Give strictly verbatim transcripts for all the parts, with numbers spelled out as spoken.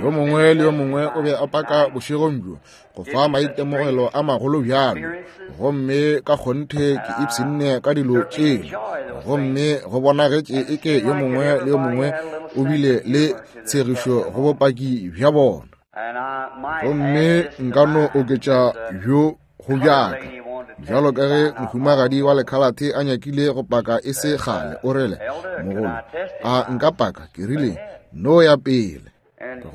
Yo mongwe le yo mongwe o be a paka bošegong bjo go fa maitemogelo a magolo bjalo, gomme ka kgonthe ke ipshinne ka dilo tšeo, gomme go bonagetše eke yo mongwe le yo mongwe o bile le tshegišo go bopaki bja bona. Gomme nka no oketša bjo go bjaka, bjalo ka ge mohumagadi wa lekhalate a nyakile go paka e se kgale, o rile, mogolo, a nka paka? Ke rile, no ya pele.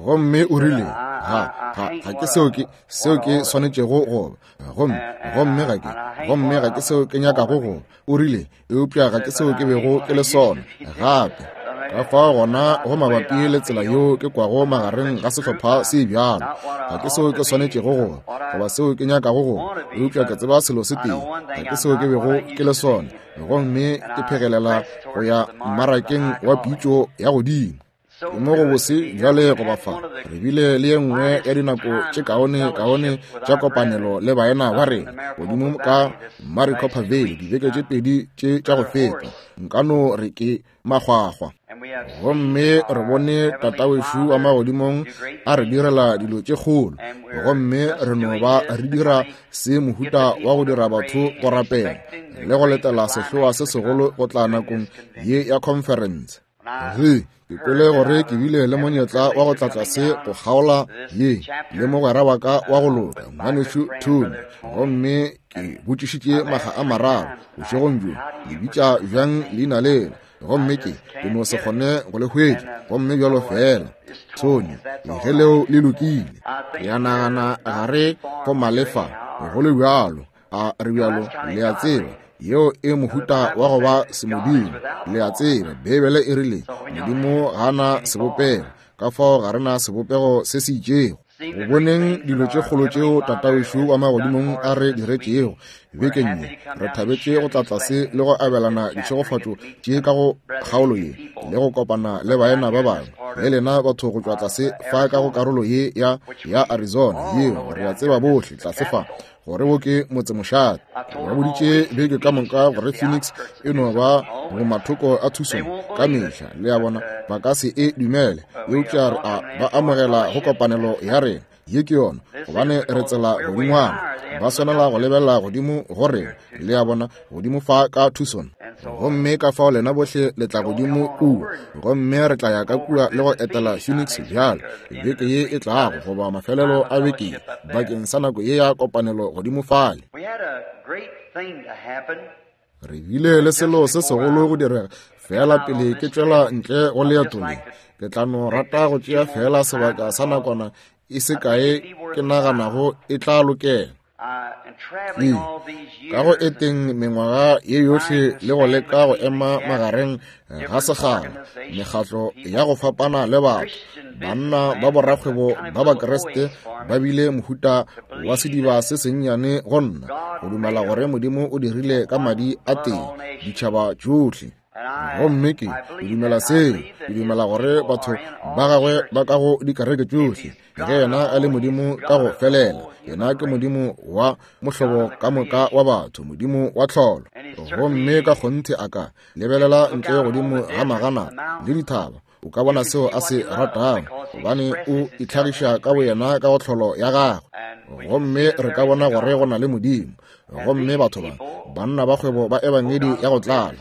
Gomme o rile, ga, ga, ga ke seo ke, seo ke swanetšego go ba, gomme, gomme ga ke, gomme ga ke seo ke nyakago go ba. O rile, eupša ga ke seo ke bego ke le sona gape. Ka fao gona go mabapi le tsela yeo ke kwago magareng ga sehlopha se bjalo, ga ke seo ke swanetšego go ba, goba seo ke nyakago go ba, eupša ke tseba selo se tee, ga ke seo ke bego ke le sona, gomme ke phegelela go ya mmarakeng wa pitšo ya godimo. Ke mo go bose bjale go ba fa. Re bile le ye nngwe ya dinako tše kaone kaone tša kopanelo le baena ba rena godimo ka Maricopa Valley dibeke tše pedi tše tša go feta. Nka no re ke makgwakgwa. Gomme re bone Tatawešu wa magodimong a re direla dilo tše kgolo, gomme re no ba re dira se mohuta wa go dira batho go rapela le go letela sehloa se segolo go tla nakong ye ya conference. Ge ke kwele gore ke bile le monyetla wa go tla tlase go kgaola ye le mogwera wa ka wa go loka ngwanešu Tony, gomme ke botšišitše makga a mararo bošegong bjo, le bitša bjang leina lela, gomme ke ke no se kgone go le hwetša, gomme bjalo fela Tony, ge leo le lokile. Ke a nagana ga re go malefa go le bjalo, a re bjalo, le a tseba, yeo e mohuta wa go ba semodimo. Le a tseba, Beibele e rile Modimo ga na sebopego, ka fao ga re na sebopego se se itšego. Go boneng dilo tše kgolo tšeo Tatawešu wa magodimong a re diretšego bekeng ye, re thabetše go tla tlase le go abelana ditšhegofatšo tše ka go kgaolo ye le go kopana le baena ba bangwe le lena batho go tšwa tlase fa ka go karolo ye ya, ya Arizona yeo re a tseba bohle tlase fa gore wo ke motsemošate. Ba boditše beke ka moka gore Phoenix e no ba go mathoko a Tucson ka mehla, le a bona, ba ka se e dumele, eupša re a ba amogela go kopanelo ya rena. Ye ke yona, gobane re tsela godingwana, ba swanela go lebelela godimo go rena, le a bona, godimo fa ka Tucson. Gomme ka fao lena bohle le tla godimo kua, gomme re tla ya ka kua le go etela Phoenix bjalo beke ye e tlago, goba mafelelo a beke ye, bakeng sa nako ye ya kopanelo godimo fale. Re bile le selo se segolo go direga fela pele ke tšwela ntle go leeto le. Ke tla no rata go tšea fela sebaka sa nakwana e se kae ke naganago e tla lokela. Ee, ka go eteng mengwaga ye yohle le go leka go ema magareng ga segala, mekgatlo ya go fapana le batho, banna ba borakgwebo ba Bakreste ba bile mohuta wa sediba se sennyane go nna go dumela gore Modimo o dirile ka madi a teng ditšhaba tšohle. Gomme ke dumela seo, ke dumela gore batho ba gagwe ba ka go dikereke tšohle, ge yena a le Modimo ka go felela, yena ke Modimo wa mohlobo ka moka wa batho, Modimo wa tlholo. Gomme ka kgonthe a ka lebelela ntle godimo ga magana le dithaba, o ka bona seo a se ratago, gobane o itlhagiša ka boyena ka go tlholo ya gagwe. Gomme re ka bona gore go na le Modimo. Gomme batho ba, banna ba kgwebo ba ebangedi ya go tlala,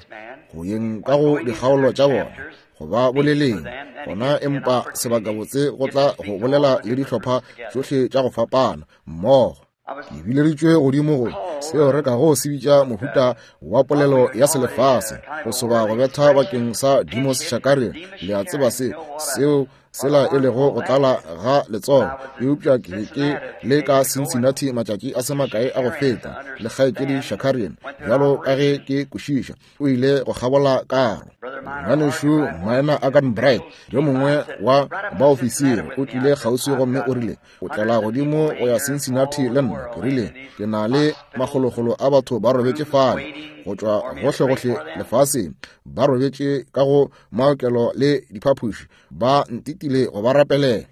go yeng ka go dikgaolo tša bona, go ba boleleng gona, empa sebakabotse go tla go bolela le dihlopha tšohle tša go fapana mmogo. Ke bileditšwe godimo go seo re kago se bitša mohuta wa polelo ya selefase, go soba go betha bakeng sa Demos Shakarian. Le a tseba se seo sela e lego go tlala ga letsogo. Eupša ke ke le ka Cincinnati matšatši a se makae a go feta le kgaetšedi Shakarian, bjalo ka ge ke kwešiša, o ile go kgabola karo. Ngwanešu Moena Agan Bright, yo mongwe wa baofisiri, o tlile kgauswi gomme o rile, o tlela godimo go ya Cincinnati le nna. Ke rile, ke na le makgolokgolo a batho ba robetše fale go tšwa gohlegohle lefaseng, ba robetše ka go maokelo le diphapoši, ba ntitile go ba rapelela.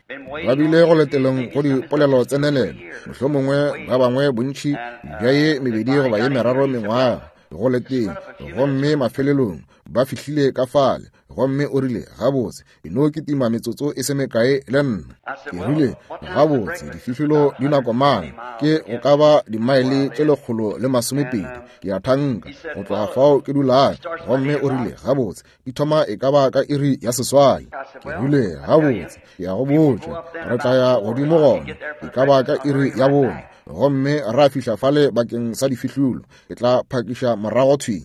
Ba bile go leteleng go dipolelo tsenelelo, mohlomongwe ba bangwe bontši bja ye mebedi goba ye meraro mengwaga go leteng, gomme mafelelong ba fihlile ka fale Gomme o rile, gabotse, e no kitima metsotso e se mekae le nna. Ke rile, gabotse, difihlolo di nako mang? Ke go ka ba dimaele tše lekgolo le masomepedi, ke a thanka, go tloga fao ke dulago. Gomme o rile, gabotse, di thoma e ka ba ka iri ya seswai. Ke rile, gabotse, ke a go botša, re tla ya godimo gona e ka ba ka iri ya bone, gomme ra fihla fale bakeng sa difihlolo. Ke tla phakiša morago thwi.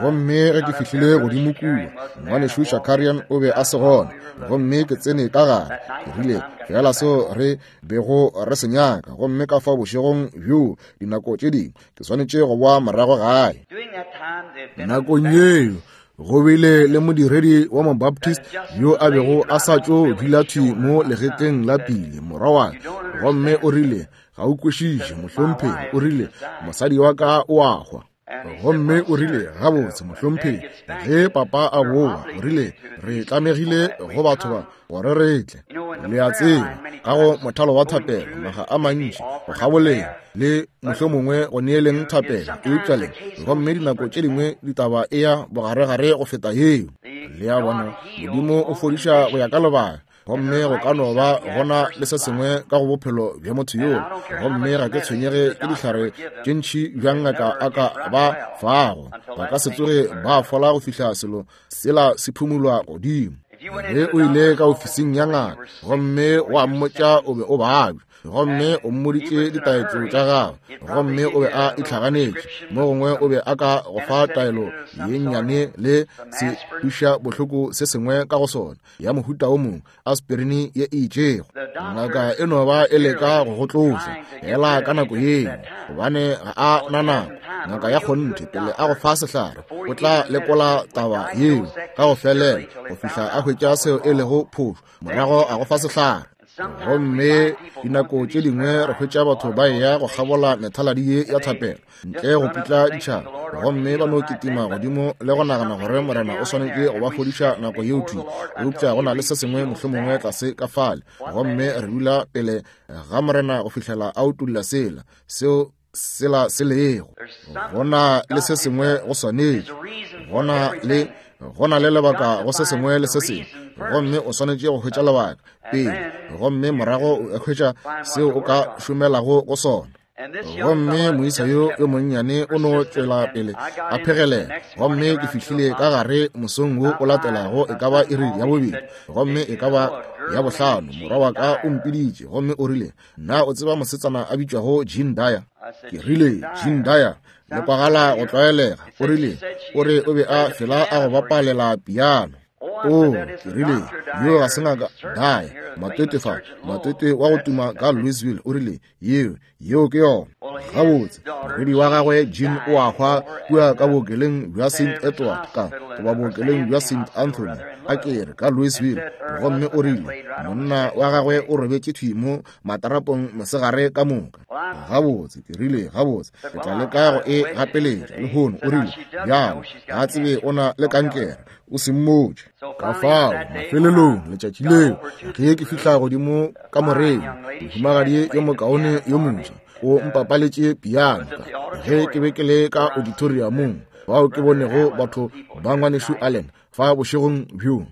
Gomme ge ke fihlile godimo kua, ngwanešu Shakarian o be a se gona, gomme ke tsene ka gare. Ke rile, fela seo re bego re se nyaka, gomme ka fao bošegong bjo dinako tše dingwe ke swanetše go boa morago gae. Nakong yeo go bile le modiredi wa Mobaptist yo a bego a sa tšo dula thwi mo legetleng la pele morwa wa ka, gomme o rile, ga o kwešiše mohlomphegi. O rile, mosadi wa ka o a hwa. Gomme o rile, gabotse mohlomphegi, ge papa a boa, o rile, re tlamegile go batho ba gore re tle. Le a tseba, ka go mothalo wa thapelo naga a mantši go kgaboleng le mohlomongwe go neeleng thapelo, eupša le gomme dinako tše dingwe ditaba e ya bogaregare go feta yeo. Le a bona, Modimo o fodiša go ya ka lebaka, gomme go ka no ba gona le se sengwe ka go bophelo bja motho yoo. Gomme ga ke tshwenyege ke dihlare tše ntši bjang ngaka a ka ba fago, ba ka se tsoge ba fola go fihla selo sela se phumulwa godimo. Ge o ile ka ofising ya ngaka gomme wa mmotša o be o babja, gomme o mmoditše ditaetšo tša gagwe, gomme o be a itlhaganetše, mo gongwe o be a ka go fa taelo ye nnyane le se kweša bohloko se sengwe ka go sona, ya mohuta o mongwe, aspirini ye e itšego. Ngaka e no ba e leka go go tloša fela ka nako yeo, gobane ga a na nako. Ngaka ya kgonthe pele a go fa sehlare o tla lekola taba yeo ka go felela go fihla a hwetša seo e lego phošo, morago a go fa sehlare. Gomme dinako tše dingwe re hwetša batho ba eya go kgabola methaladi ye ya thapelo ntle go putla ditšhaba, gomme ba no kitima godimo le go nagana gore Morena o swanetše go ba fodiša nako yeo thwi, eupša go na le se sengwe mohlomongwe tlase ka fale. Gomme re dula pele ga Morena go fihlela a utolla sela seo sela se lego. Go na le se sengwe go swanetše, go na le go na le lebaka go se sengwe le se sengwe, gomme o swanetše go hwetša lebaka pele, gomme morago o hwetša seo o ka šomelago go sona. Gomme moisa yo yo monnyane o no tšwela pele a phegelela, gomme ke fihlile ka gare mosong wo o latelago e ka ba iri ya bobedi, gomme e ka ba ya bohlano. Morwa wa ka o mpiditše gomme o rile, na o tseba mosetsana a bitšwago Jean Dyer? Ke rile, Jean Dyer le kwagala go tlwaelega. O rile, o re o be a fela a go bapalela piano. O, ke rile, yo ga se ngaka Dyer, matwete fa, matwete wa go tuma ka Louisville. O rile, yeo, yeo ke yona. Gabotse, morwedi wa gagwe Jean o a hwa kua ka bookelong bja Saint Edward ka goba bookelong bja Saint Anthony, a kere ka Louisville. Gomme o rile, monna wa gagwe o robetše thwi mo matarapong mosegare ka moka. Gabotse, ke rile, gabotse, ke tla leka go e gapeletša lehono. O rile, bjalo, ga tsebe o na le kankere, o se mmotše. Ka fao mafelelong letšatši leo ge ke fihla godimo ka moreng, mohumagadi yo mokaone yo moswa o mpapaletše piano ge ke be ke le ka auditoriumong, bao ke bonego batho ba ngwanešu Allen fa bošegong bjo.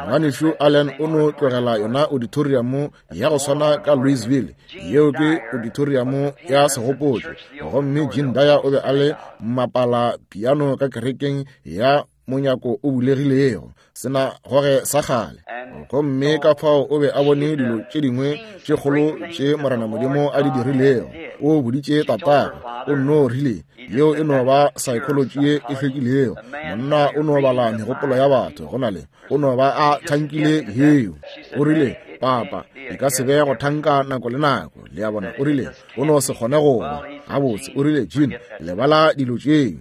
Ngwanešu Allen o no tlogela yona auditorium ya go swana ka Louisville, yeo ke auditorium ya segopotšo, gomme Jean Dyer o be a le mmapala piano ka kerekeng ya monyako o bulegilego, sena goge sa kgale. Gomme ka fao o be a bone dilo tše dingwe tše kgolo tše Morena Modimo a di dirilego. O boditše tatagwe, o nno rile, yeo e no ba psychology ye e hlwekilego. Monna o no bala megopolo ya batho, go na le o no ba a thankile yeo. O rile, papa, e ka se be go thanka nako le nako. Le a bona, o rile, o no se kgone go ba. Gabotse, o rile, Jean, lebala dilo tšeo.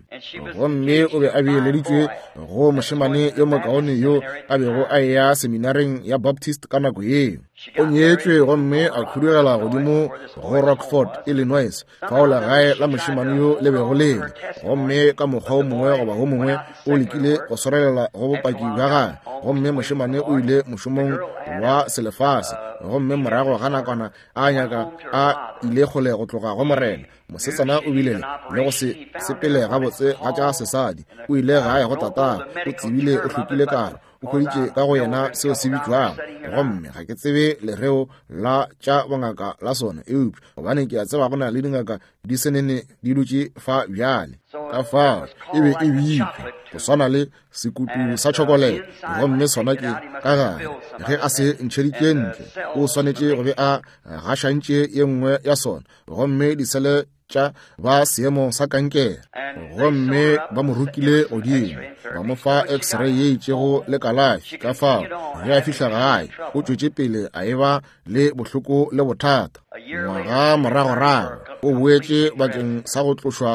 Gomme o be a beeleditšwe go mošemane yo mokaone yo a bego a eya seminareng ya Baptist ka nako yeo. O nyetšwe gomme a khudugela godimo go Rockford, Illinois, fao legae la mošemane yo le bego le le. Gomme ka mokgwa o mongwe goba o mongwe o lekile go swarelela go bopaki bja gagwe, gomme mošemane o ile mošomong wa selefase, gomme morago ga nakwana a nyaka a ile kgole go tloga go Morena. Mosetsana o bile le go se sepele gabotse ga tša sesadi. O ile gae go tatagwe, o tsebile o hlokile karo. o hweditše ka go yena seo se bitšwago, gomme ga ke tsebe lereo la tša bongaka la sona, eupša gobane ke a tseba go na le dingaka di senene di dutše fa bjale. Ka fao e be e bitšwa go swana le sekutu sa tšhokolete, gomme sona ke ka gare. Ge a se ntšheditše ntle, o swanetše go be a gašantše ye nngwe ya sona, gomme disele tša ba seemo sa kankere. Gomme ba mo rokile godimo, ba mo fa x-ray ye itšego le kalafi. Ka fao ge a fihla gae, o tšwetše pele a eba le bohloko le bothata. Ngwaga moragorago o boetše bakeng sa go tlošwa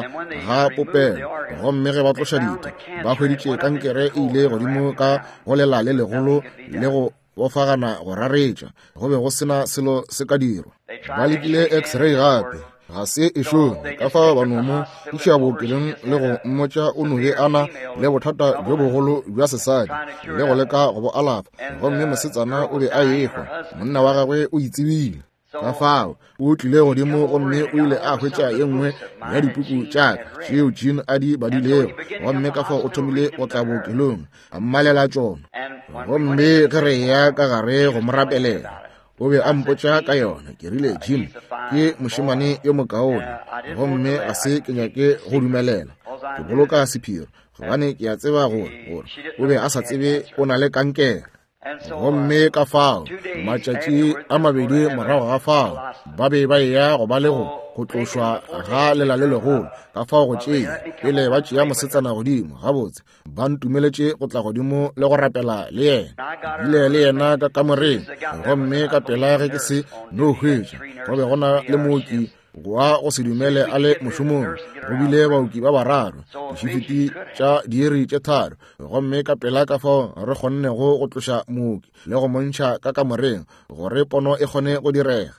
ga popelo, gomme ge ba tloša ditho, ba hweditše kankere e ile godimo ka go lela le legolo le go bofagana go raretša. Go be go sena selo se ka dirwa. Ba lekile x-ray gape, ga se e šome. Ka fao ba no mo iša bookelong le go mmotša o no be a na le bothata bjo bogolo bja sesadi le go leka go bo alafa, gomme mosetsana o be a ehwa, monna wa gagwe o itsebile. Ka fao o tlile godimo gomme o ile a hwetša ye nngwe ya dipuku tša ka tšeo Jean a di badilego, gomme ka fao o thomile go tla bookelong a mmalela tšona. Gomme ge re eya ka gare go mo rapelela, o be a mpotša ka yona. Ke rile, Jean ke mošemane yo mokaone, gomme ga se ke nyake go dumelela, ke boloka sephiri, gobane ke a tseba gore gore o be a sa tsebe o na le kankere. Gomme ka fao matšatši a mabedi morago ga fao ba be ba eya go ba le go go tlošwa ga lela le legolo. Ka fao go tšea pele ba tšea mosetsana godimo, gabotse ba ntumeletše go tla godimo le go rapela le yena. Bile le yena ka kamoreng, gomme ka pela ge ke se no hwetša, go be go na le mooki wa go se dumele a le mošomong. Go bile baoki ba bararo, dišifiti tša diiri tše tharo, gomme ka pela ka fao re kgonnego go tloša mooki le go montšha ka kamoreng gore pono e kgone go direga.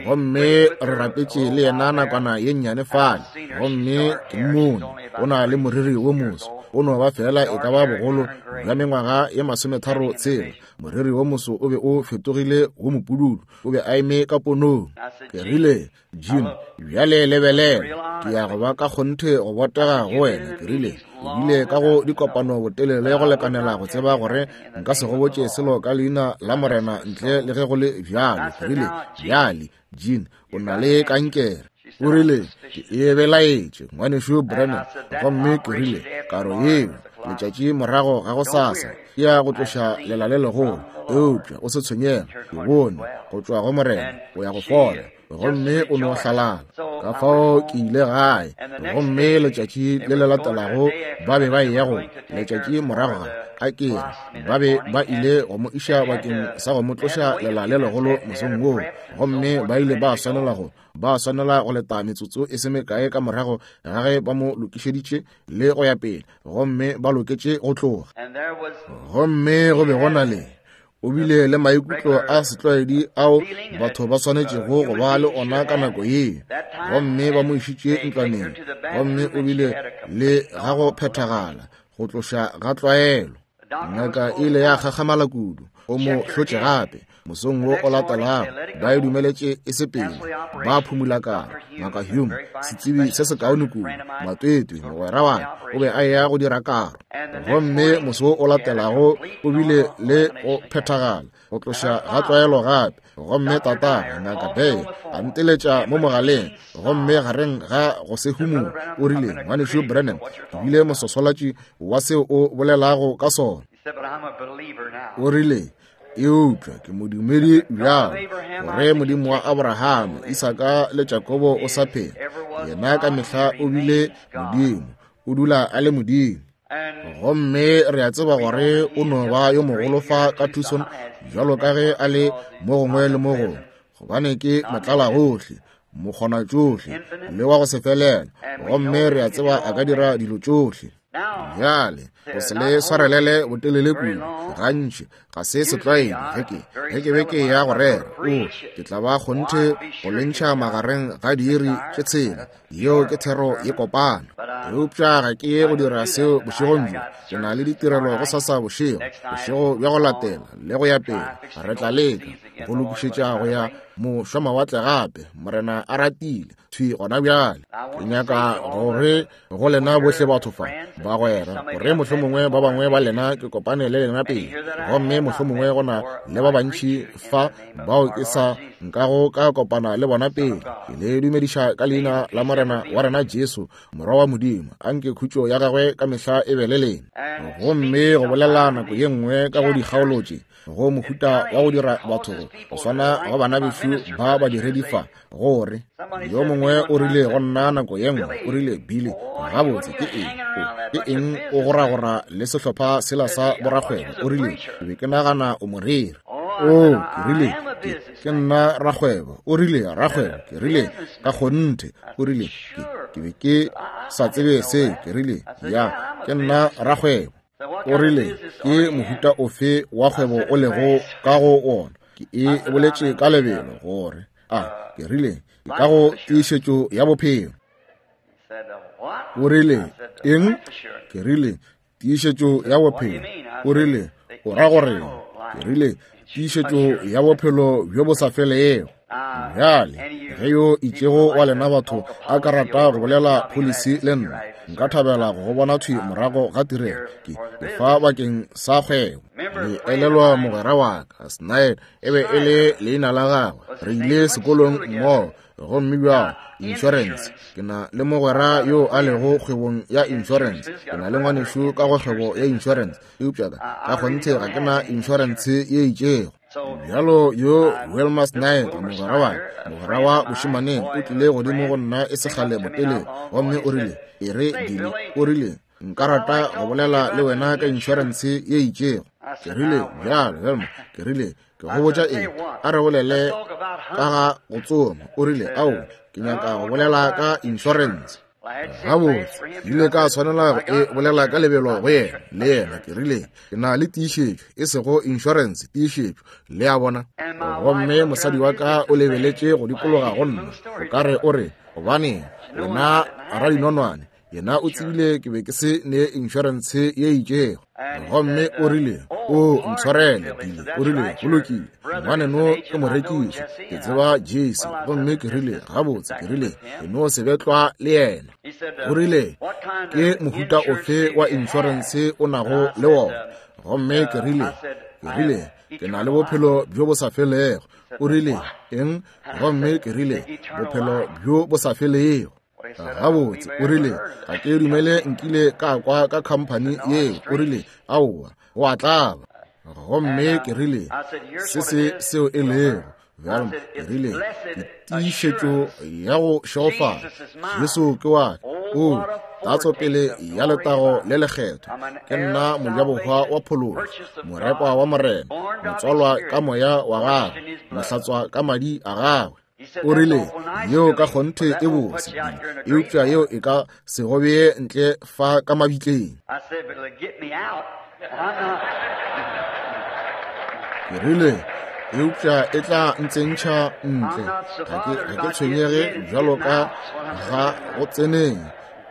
Gomme re rapetše le yena nakwana ye nnyane fale, gomme ke mmone o na le moriri wo moso, o no ba fela e ka ba bogolo bja mengwaga ye masometharo tshela. Moriri wo moso o be o fetogile wo mopududu, o be a eme ka ponong. Ke rile, Jean, bjale lebelela, ke ya go ba ka kgonthe go botega go wena. Ke rile, o bile ka go dikopano botelele go lekanela go tseba gore nka se go botše selo ka leina la Morena ntle le ge go le bjalo. Ke rile, bjale Jean, o na le kankere. O rile, ke e belaetše, ngwanešu Branham. Gomme ke rile, karo yeo letšatši morago ga go sasa ke ya go tloša lela le legolo, eupša o se tshwenyege, ke bone go tšwa go Morena o ya go fola. Gomme o no hlalala. Ka fao ke ile gae, gomme letšatši le le latelago ba be ba eya go letšatši morago ga a ke re ba be ba ile go mo iša bakeng sa go mo tloša lela le legolo mosong woo, gomme ba ile ba swanela go ba swanela go leta metsotso e se mekae ka morago ga ge ba mo lokišeditše le go ya pele, gomme ba loketše go tloga. Gomme go be go na le o bile le maikutlo a setlwaedi ao batho ba swanetšego go ba le ona ka nako ye, gomme ba mo išitše ntlwaneng, gomme o bile le ga go phethagala go tloša ga tlwaelo. Ngaka e ile ya gakgamala kudu, o mo hlotše gape mosong wo o latelago. Ba e dumeletše e se pele, ba phumula karo. Ngaka Hume, setsebi se sekaone kudu, matwetwe mogwera wa ka, o be a eya go dira karo. Gomme moso wo o latelago o bile le go phethagala go tloša ga tlwaelo gape. Gomme tatagwe Ngaka Bear a nteletša mo mogaleng, gomme gareng ga go se humole o rile, ngwanešu Branham, ke bile mososolatši wa seo o bolelago ka sona. O rile, eupša ke modumedi bjalo gore Modimo wa Abraham, Isaka le Jakobo o sa phela. Yena ka mehla o bile Modimo, o dula a le Modimo. Gomme re a tseba gore o no ba yo mogolo fa ka Tucson bjalo ka ge a le mo gongwe le mo gongwe, gobane ke motlala gohle, mokgona tšohle le wa go se felela. Gomme re a tseba a ka dira dilo tšohle. Bjale go se le swarelele botelele kudu, gantši Ga se setlwaedi ge ke ge ke be ke ya go rera, o ke tla ba kgonthe go lentšha magareng ga diiri tše tshela. Yeo ke thero ye kopana. Eupša ga ke ye go dira seo bošegong bjo. Ke na le ditirelo go sasa bošego, bošego bja go latela le go ya pele. Re tla leka go lokišetša go ya mošwamawatle gape, Morena a ratile, thwi gona bjale. Ke nyaka gore go lena bohle batho fa, bagwera, gore mohlomongwe ba bangwe ba lena ke kopane le lena pele, gomme mohlomongwe go na le ba bantši fa bao ke sa nkago ka kopana le bona pele. Ke le dumediša ka leina la Morena wa rena Jesu, Morwa wa Modimo. Anke khutšo ya gagwe ka mehla e be le lena. Gomme go bolela nako ye nngwe ka go dikgaolo tše, go mohuta wa go dira batho go swana go bana bešo ba badiredi fa, gore yo mongwe o rile go nna nako ye nngwe, o rile, Billy, gabotse ke eng ke eng o goragora le sehlopha sela sa borakgwebo? O rile, ke be ke nagana o moreri. O, ke rile, ke ke nna rakgwebo. O rile, rakgwebo? Ke rile, ka kgonthe. O rile, ke ke be ke sa tsebe se. Ke rile, ya, ke nna rakgwebo. O rile, ke mohuta ofe wa kgwebo o lego ka go wona? Ke e boletše ka lebelo gore a, ke rile, ke ka go tiišetšo ya bophelo. O rile, eng? Ke rile, tiišetšo ya bophelo. O rile, o ra gore? Ke rile, tiišetšo ya bophelo bjo bo sa felego. Bjale, ge yo itšego wa lena batho a ka rata go bolela pholisi le nna, nka thabela go go bona thwi morago ga tirelo. Ke ke fa bakeng sa kgwebo. Le elelwa mogwera wa ka Snyder, e be e le leina la gagwe. Re ile sekolong mmogo, gomme bjalo insurance. Ke na le mogwera yo a lego kgwebong ya insurance. Ke na le ngwanešu ka go kgwebo ya insurance, eupša ka ka kgonthe ga ke na insurance ye itšego. Bjalo yo Wilmer Snyder, mogwera wa mogwera wa bošemaneng, o tlile godimo go nna e sekgale botelele, gomme o rile, e re Billy, o rile, nka rata go bolela le wena ka insurance ye itšego. Ke rile, bjalo Wilmer, ke rile, ke go botša eng? A re bolele ka ga go tsoma. O rile, ao, ke nyaka go bolela ka insurance. Gabotse, ile ka tshwanela go e bolela ka lebelo go yena le yena. Ke rile, ke na le tiišetšo, e sego insurance, tiišetšo, le a bona. Gomme mosadi wa ka o lebeletše go dikologa go nna, o ka re o re, gobane wena radinonwane, yena o tsebile ke be ke se ne insurance ye itšego. Gomme o rile, o ntshwarele Billy. O rile, go lokile, ngwaneno ke morekiši, ke tseba Jesse. Gomme ke rile, gabotse, ke rile, ke no se betlwa le yena. O rile, ke mohuta ofe wa insurance o nago le wona? Gomme ke rile, ke rile, ke na le bophelo bjo bo sa felego. O rile, eng? Gomme ke rile, bophelo bjo bo sa felego. Gabotse, o rile, ga ke dumele nkile ka kwa ka khamphani yeo. O rile, aowa, go a tlaba. Gomme ke rile, se se seo e lego bjalo, ke rile, ke tiišetšo ya go šegofala. Jesu ke wa ka. O tatso pele ya letago le lekgetho. Ke nna mojabohwa wa phološo, morekwa wa Morena, motswalwa ka moya wa gagwe, mohlatswa ka madi a gagwe. O rile, yeo ka kgonthe e bose, eupša yeo e ka se go bee ntle fa ka mabitleng. Ke rile, eupša e tla ntsentšha ntle. Ga ke ga ke tshwenyege bjalo ka ga go tseneng,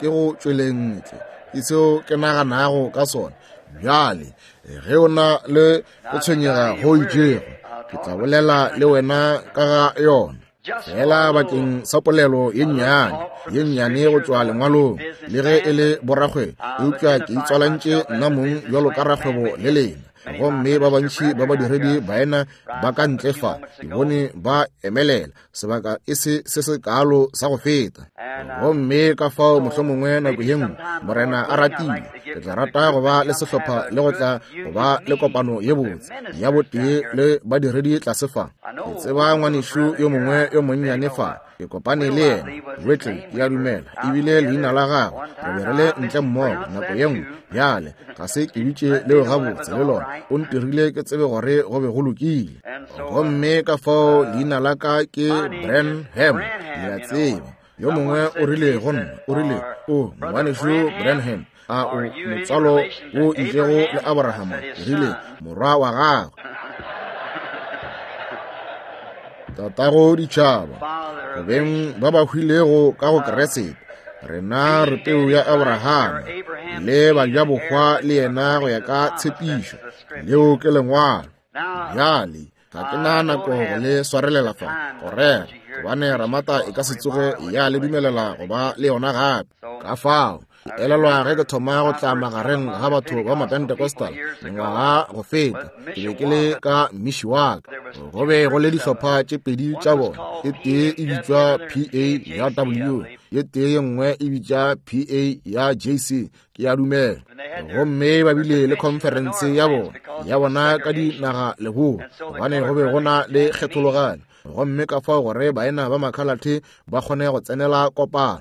ke go tšweleng ntle. Ke seo ke naganago ka sona. Bjale, ge o na le go tshwenyega go itšego, ke tla bolela le wena ka ga yona. Fela bakeng sa polelo ye nnyane, ye nnyane go tšwa lengwalong, le ge e le borakgwebo, eupša ke itswalantše nna mong bjalo ka rakgwebo le lena. Gomme ba bantši ba badiredi baena ba ka ntle fa, ke bone ba emelela sebaka e se se se kalo sa go feta. Gomme ka fao mohlomongwe nako ye nngwe, Morena a ratile, ke tla rata go ba le sehlopha le go tla go ba le kopano ye botse ya botee le badiredi tlase fa. Ke tseba ngwanešu yo mongwe yo monnyane fa, ke kopane le yena, Whittle, ke a dumela ebile leina la gagwe. Re be re le ntle mmogo nako ye nngwe. Bjale ga se ke bitše leo gabotse le lona, o ntirile ke tsebe gore go be go lokile. Gomme ka fao leina la ka ke Branham, le a tseba. Yo mongwe o rile go nna, o rile, o ngwanešu Branham. A o motswalo wo itšego le Abrahama? Ke rile, morwa wa gagwe. Tatago ditšhaba, go beng ba ba hwilego ka go Kriste, rena re peu ya Abrahama le bajabohwa le yena go ya ka tshepišo. Leo ke lengwalo. Bjale ga ke na nako go le swarelela fa go rera, gobane Ramata e ka se tsoge ya le dumelela go ba le yona gape. Ka fao ke elelwa ge ke thoma go tla magareng ga batho ba Mapentecostal mengwaga go feta, ke be ke le ka Mishwaka. Go be go le dihlopha tše pedi tša bona, e tee e bitšwa P A ya W, ye tee ye nngwe e bitša P A ya J C, ke a dumela. Gomme ba bile le conference ya bona ya bona ka dinaga leboa, gobane go be go na le kgethologanyo, gomme ka fao gore baena ba makhalathe ba kgone go tsenela kopano.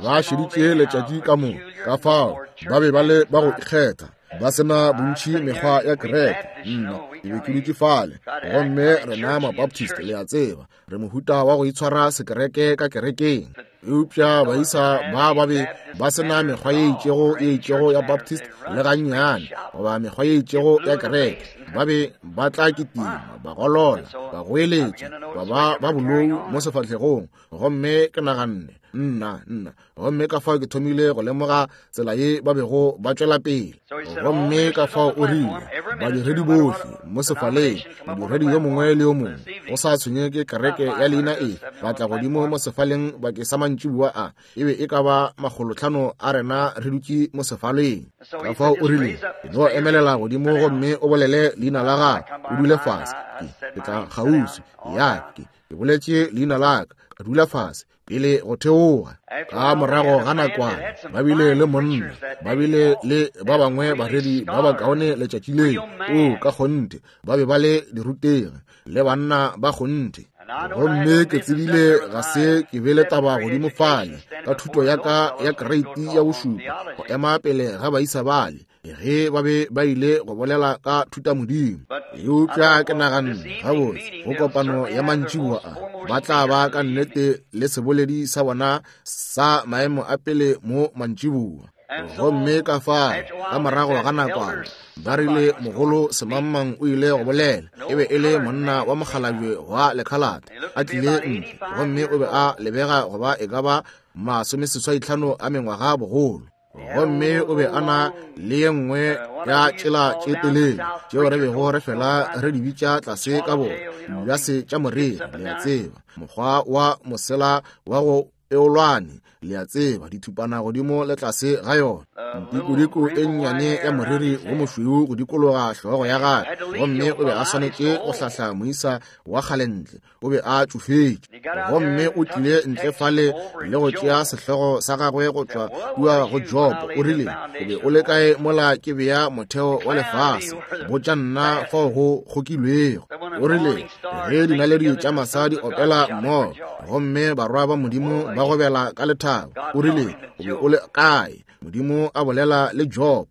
Ba šeditše letšatši ka moka, ka fao ba be ba le ba go ikgetha, ba sena bontši mekgwa ya kereke. Nna ke be ke dutše fale, gomme rena Mabaptist, le a tseba, re mohuta wa go itshwara sekereke ka kerekeng. Eupša baisa ba ba be ba sena mekgwa ye itšego ye itšego ya Baptist le gannyane, goba mekgwa ye itšego ya kereke. Ba be ba tla kitima, ba golola, ba goeletša, ba ba ba bolou mo sefahlegong. Gomme ke naganne, nna nna, gomme ka fao ke thomile go lemoga tsela ye ba bego ba tšwela pele. Gomme ka fao o rile, badiredi bohle mo sefaleng, modiredi yo mongwe le yo mongwe, go sa tshwenye ke kereke ya leina e, ba tla godimo mo sefaleng bakeng sa mantšiboa a, e be e ka ba makgolotlhano a rena re dutše mo sefaleng. Ka fao o rile, no emelela godimo gomme o bolele leina la gago, o dule fase. Ke, ke tla kgauswi ya ke, ke boletše leina la ka, ka dula fase pele go theoga. Ka morago ga nakwana ba bile le monna, ba bile le ba bangwe baredi ba bakaone letšatši leo. O ka kgonthe ba be ba le dirutegi le banna ba kgonthe. Gomme ke tsebile ga se ke be le taba godimo fale ka thuto ya ka ya kreiti ya bošupa go ema pele ga baisa bale ge ba be ba ile go bolela ka thutamodimo. Eupša ke naganne, gabotse, go kopano ya mantšiboa a ba tla ba ka nnete le seboledi sa bona sa maemo a pele mo mantšiboa. Gomme ka fao ka morago ga nakwana ba rile mogolo semangmang o ile go bolela. E be e le monna wa mokgalabje wa lekhalate a tlile ntle, gomme o be a lebega go ba e ka ba masomeseswaitlhano a mengwaga bogolo. Gomme o be a na le ye nngwe ya tšela tše telele tšeo re bego re fela re di bitša tlase ka bona dibjase tša moriri, le a tseba, mokgwa wa mosela wa go peolwane, le a tseba, dithupana godimo le tlase ga yona, ntikodiko e nnyane ya moriri wo mošweu go dikologa hlogo ya gagwe. Gomme o be a swanetše go hlahla moisa wa kgalentle, o be a tšofetše. Gomme o tlile ntle fale le go tšea sehlogo sa gagwe go tšwa kua go Job. O rile, o be o le kae mola ke bea motheo wa lefase? Botša nna fao go kgokilwego. O rile, ge dinaledi tša masa di opela mmogo, gomme barwa ba Modimo ba gobela ka lethabo. O rile, o be o le kae? Modimo a bolela le Job.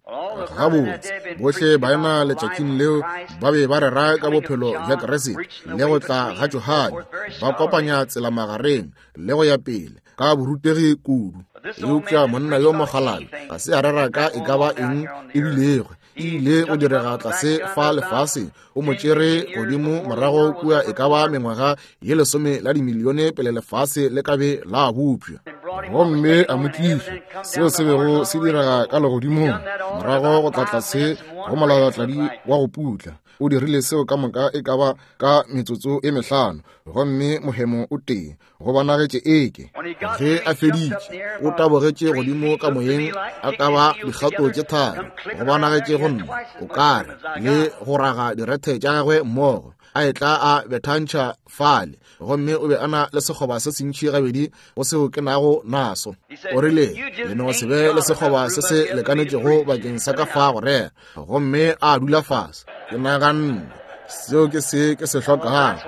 Gabotse, bohle baena letšatšing leo ba be ba rera ka bophelo bja Kriste le go tla ga Johane, ba kopanya tsela magareng le go ya pele ka borutegi kudu. Eupša monna yo mokgalabje ga se a rera ka e ka ba eng e bilego e ile go direga tlase fa lefaseng. O mo tšere godimo morago kua e ka ba mengwaga ye lesome la dimilione pele lefase le ka be la bopša, gomme a mo tliša seo se bego se direga ka legodimong morago go tla tlase go molalatladi wa go putla. O dirile seo ka moka e ka ba ka metsotso e mehlano, gomme mohemo o tee go bonagetše eke ge a feditše o tabogetše godimo ka moyeng a ka ba dikgato tše tharo. Go bonagetše go nna o kare le go raga direthe tša gagwe mmogo, a etla a bethantšha fale, gomme o be a na le sekgoba se sentši gabedi go seo ke nago naso. O rile, le no se be le sekgoba se se lekanetšego bakeng sa ka fa go rera. Gomme a dula fase. Ke naganne, seo ke se ke se hlokago.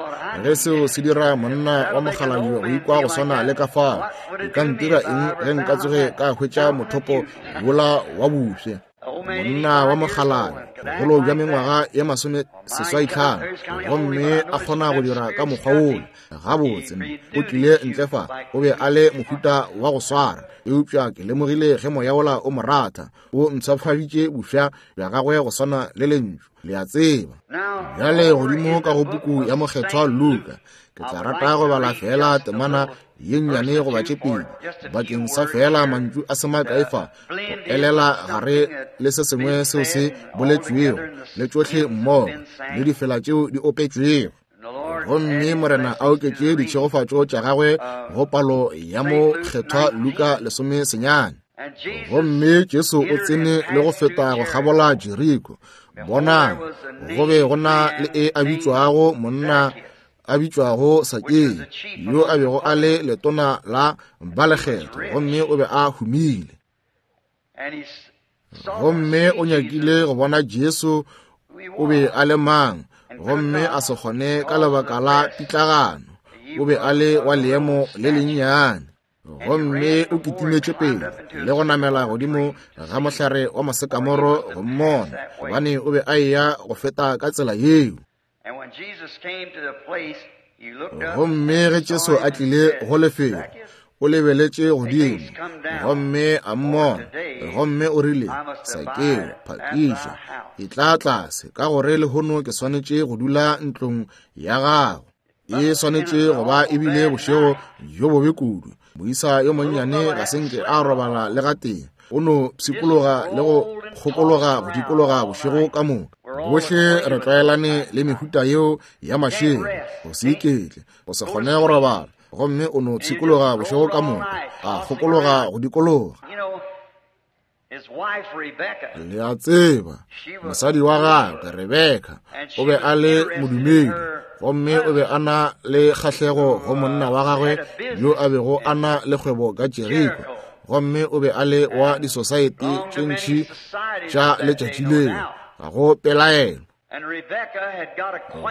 Ge seo se dira monna wa mokgalabje go ikwa go swana le ka fao, e ka ntira eng ge nka tsoge ka hwetša mothopo wola wa bofsa? Monna wa mokgalabje, bogolo bja mengwaga ye masomeseswai tlhano, gomme a kgona go dira ka mokgwa wola. Gabotse, o tlile ntle fa, o be a le mohuta wa go swara, eupša ke lemogile ge moya wola o mo ratha, o mpshafaditše bofsa bja gagwe go swana le lentšu, le a tseba. Bjale godimo ka go puku ya Mokgethwa Luka, ke tla rata go bala fela temana ye nnyane goba tše pedi bakeng sa fela mantšu a se makae fa, go elela gare le se sengwe seo se boletšwego, le tšohle mmogo, le difela tšeo di opetšwego. Gomme Morena a oketše ditšhegofatšo tša gagwe go palo ya Mokgethwa Luka lesome senyane. Gomme Jesu o tsene le go feta go kgabola Jeriko. Bonang, go be go na le e a bitšwago monna a bitšwago Sakeo, yo a bego a le letona la balekgetho, gomme o be a humile. Gomme o nyakile go bona Jesu o be a le mang, gomme a se kgone ka lebaka la pitlagano. O be a le wa leemo le lennyane. Gomme o kitimetše pele le go namela godimo ga mohlare wa mosekamoro go mmona, gobane o be a eya go feta ka tsela yeo. Gomme ge Jesu a tlile go lefelo, o lebeletše godimo gomme a mmona, gomme o rile, Sakeo, phakiša, e tla tlase, ka gore lehono ke swanetše go dula ntlong ya gago. E swanetše go ba ebile bošego bjo bobe kudu. Moisa yo monnyane ga se nke a robala le gatee, o no pshikologa le go kgokologa go dikologa bošego ka moka. Bohle re tlwaelane le mehuta yeo ya mašego, go se iketle, go se kgone go robala, gomme o no pshikologa bošego ka moka, a kgokologa go dikologa. Le a tseba, mosadi wa gagwe Rebeka o be a le modumedi, gomme o be a na le kgahlego go monna wa gagwe yo a bego a na le kgwebo ka Jeriko, gomme o be a le wa disosaete tše ntši tša letšatši leo, ga go pelaelo.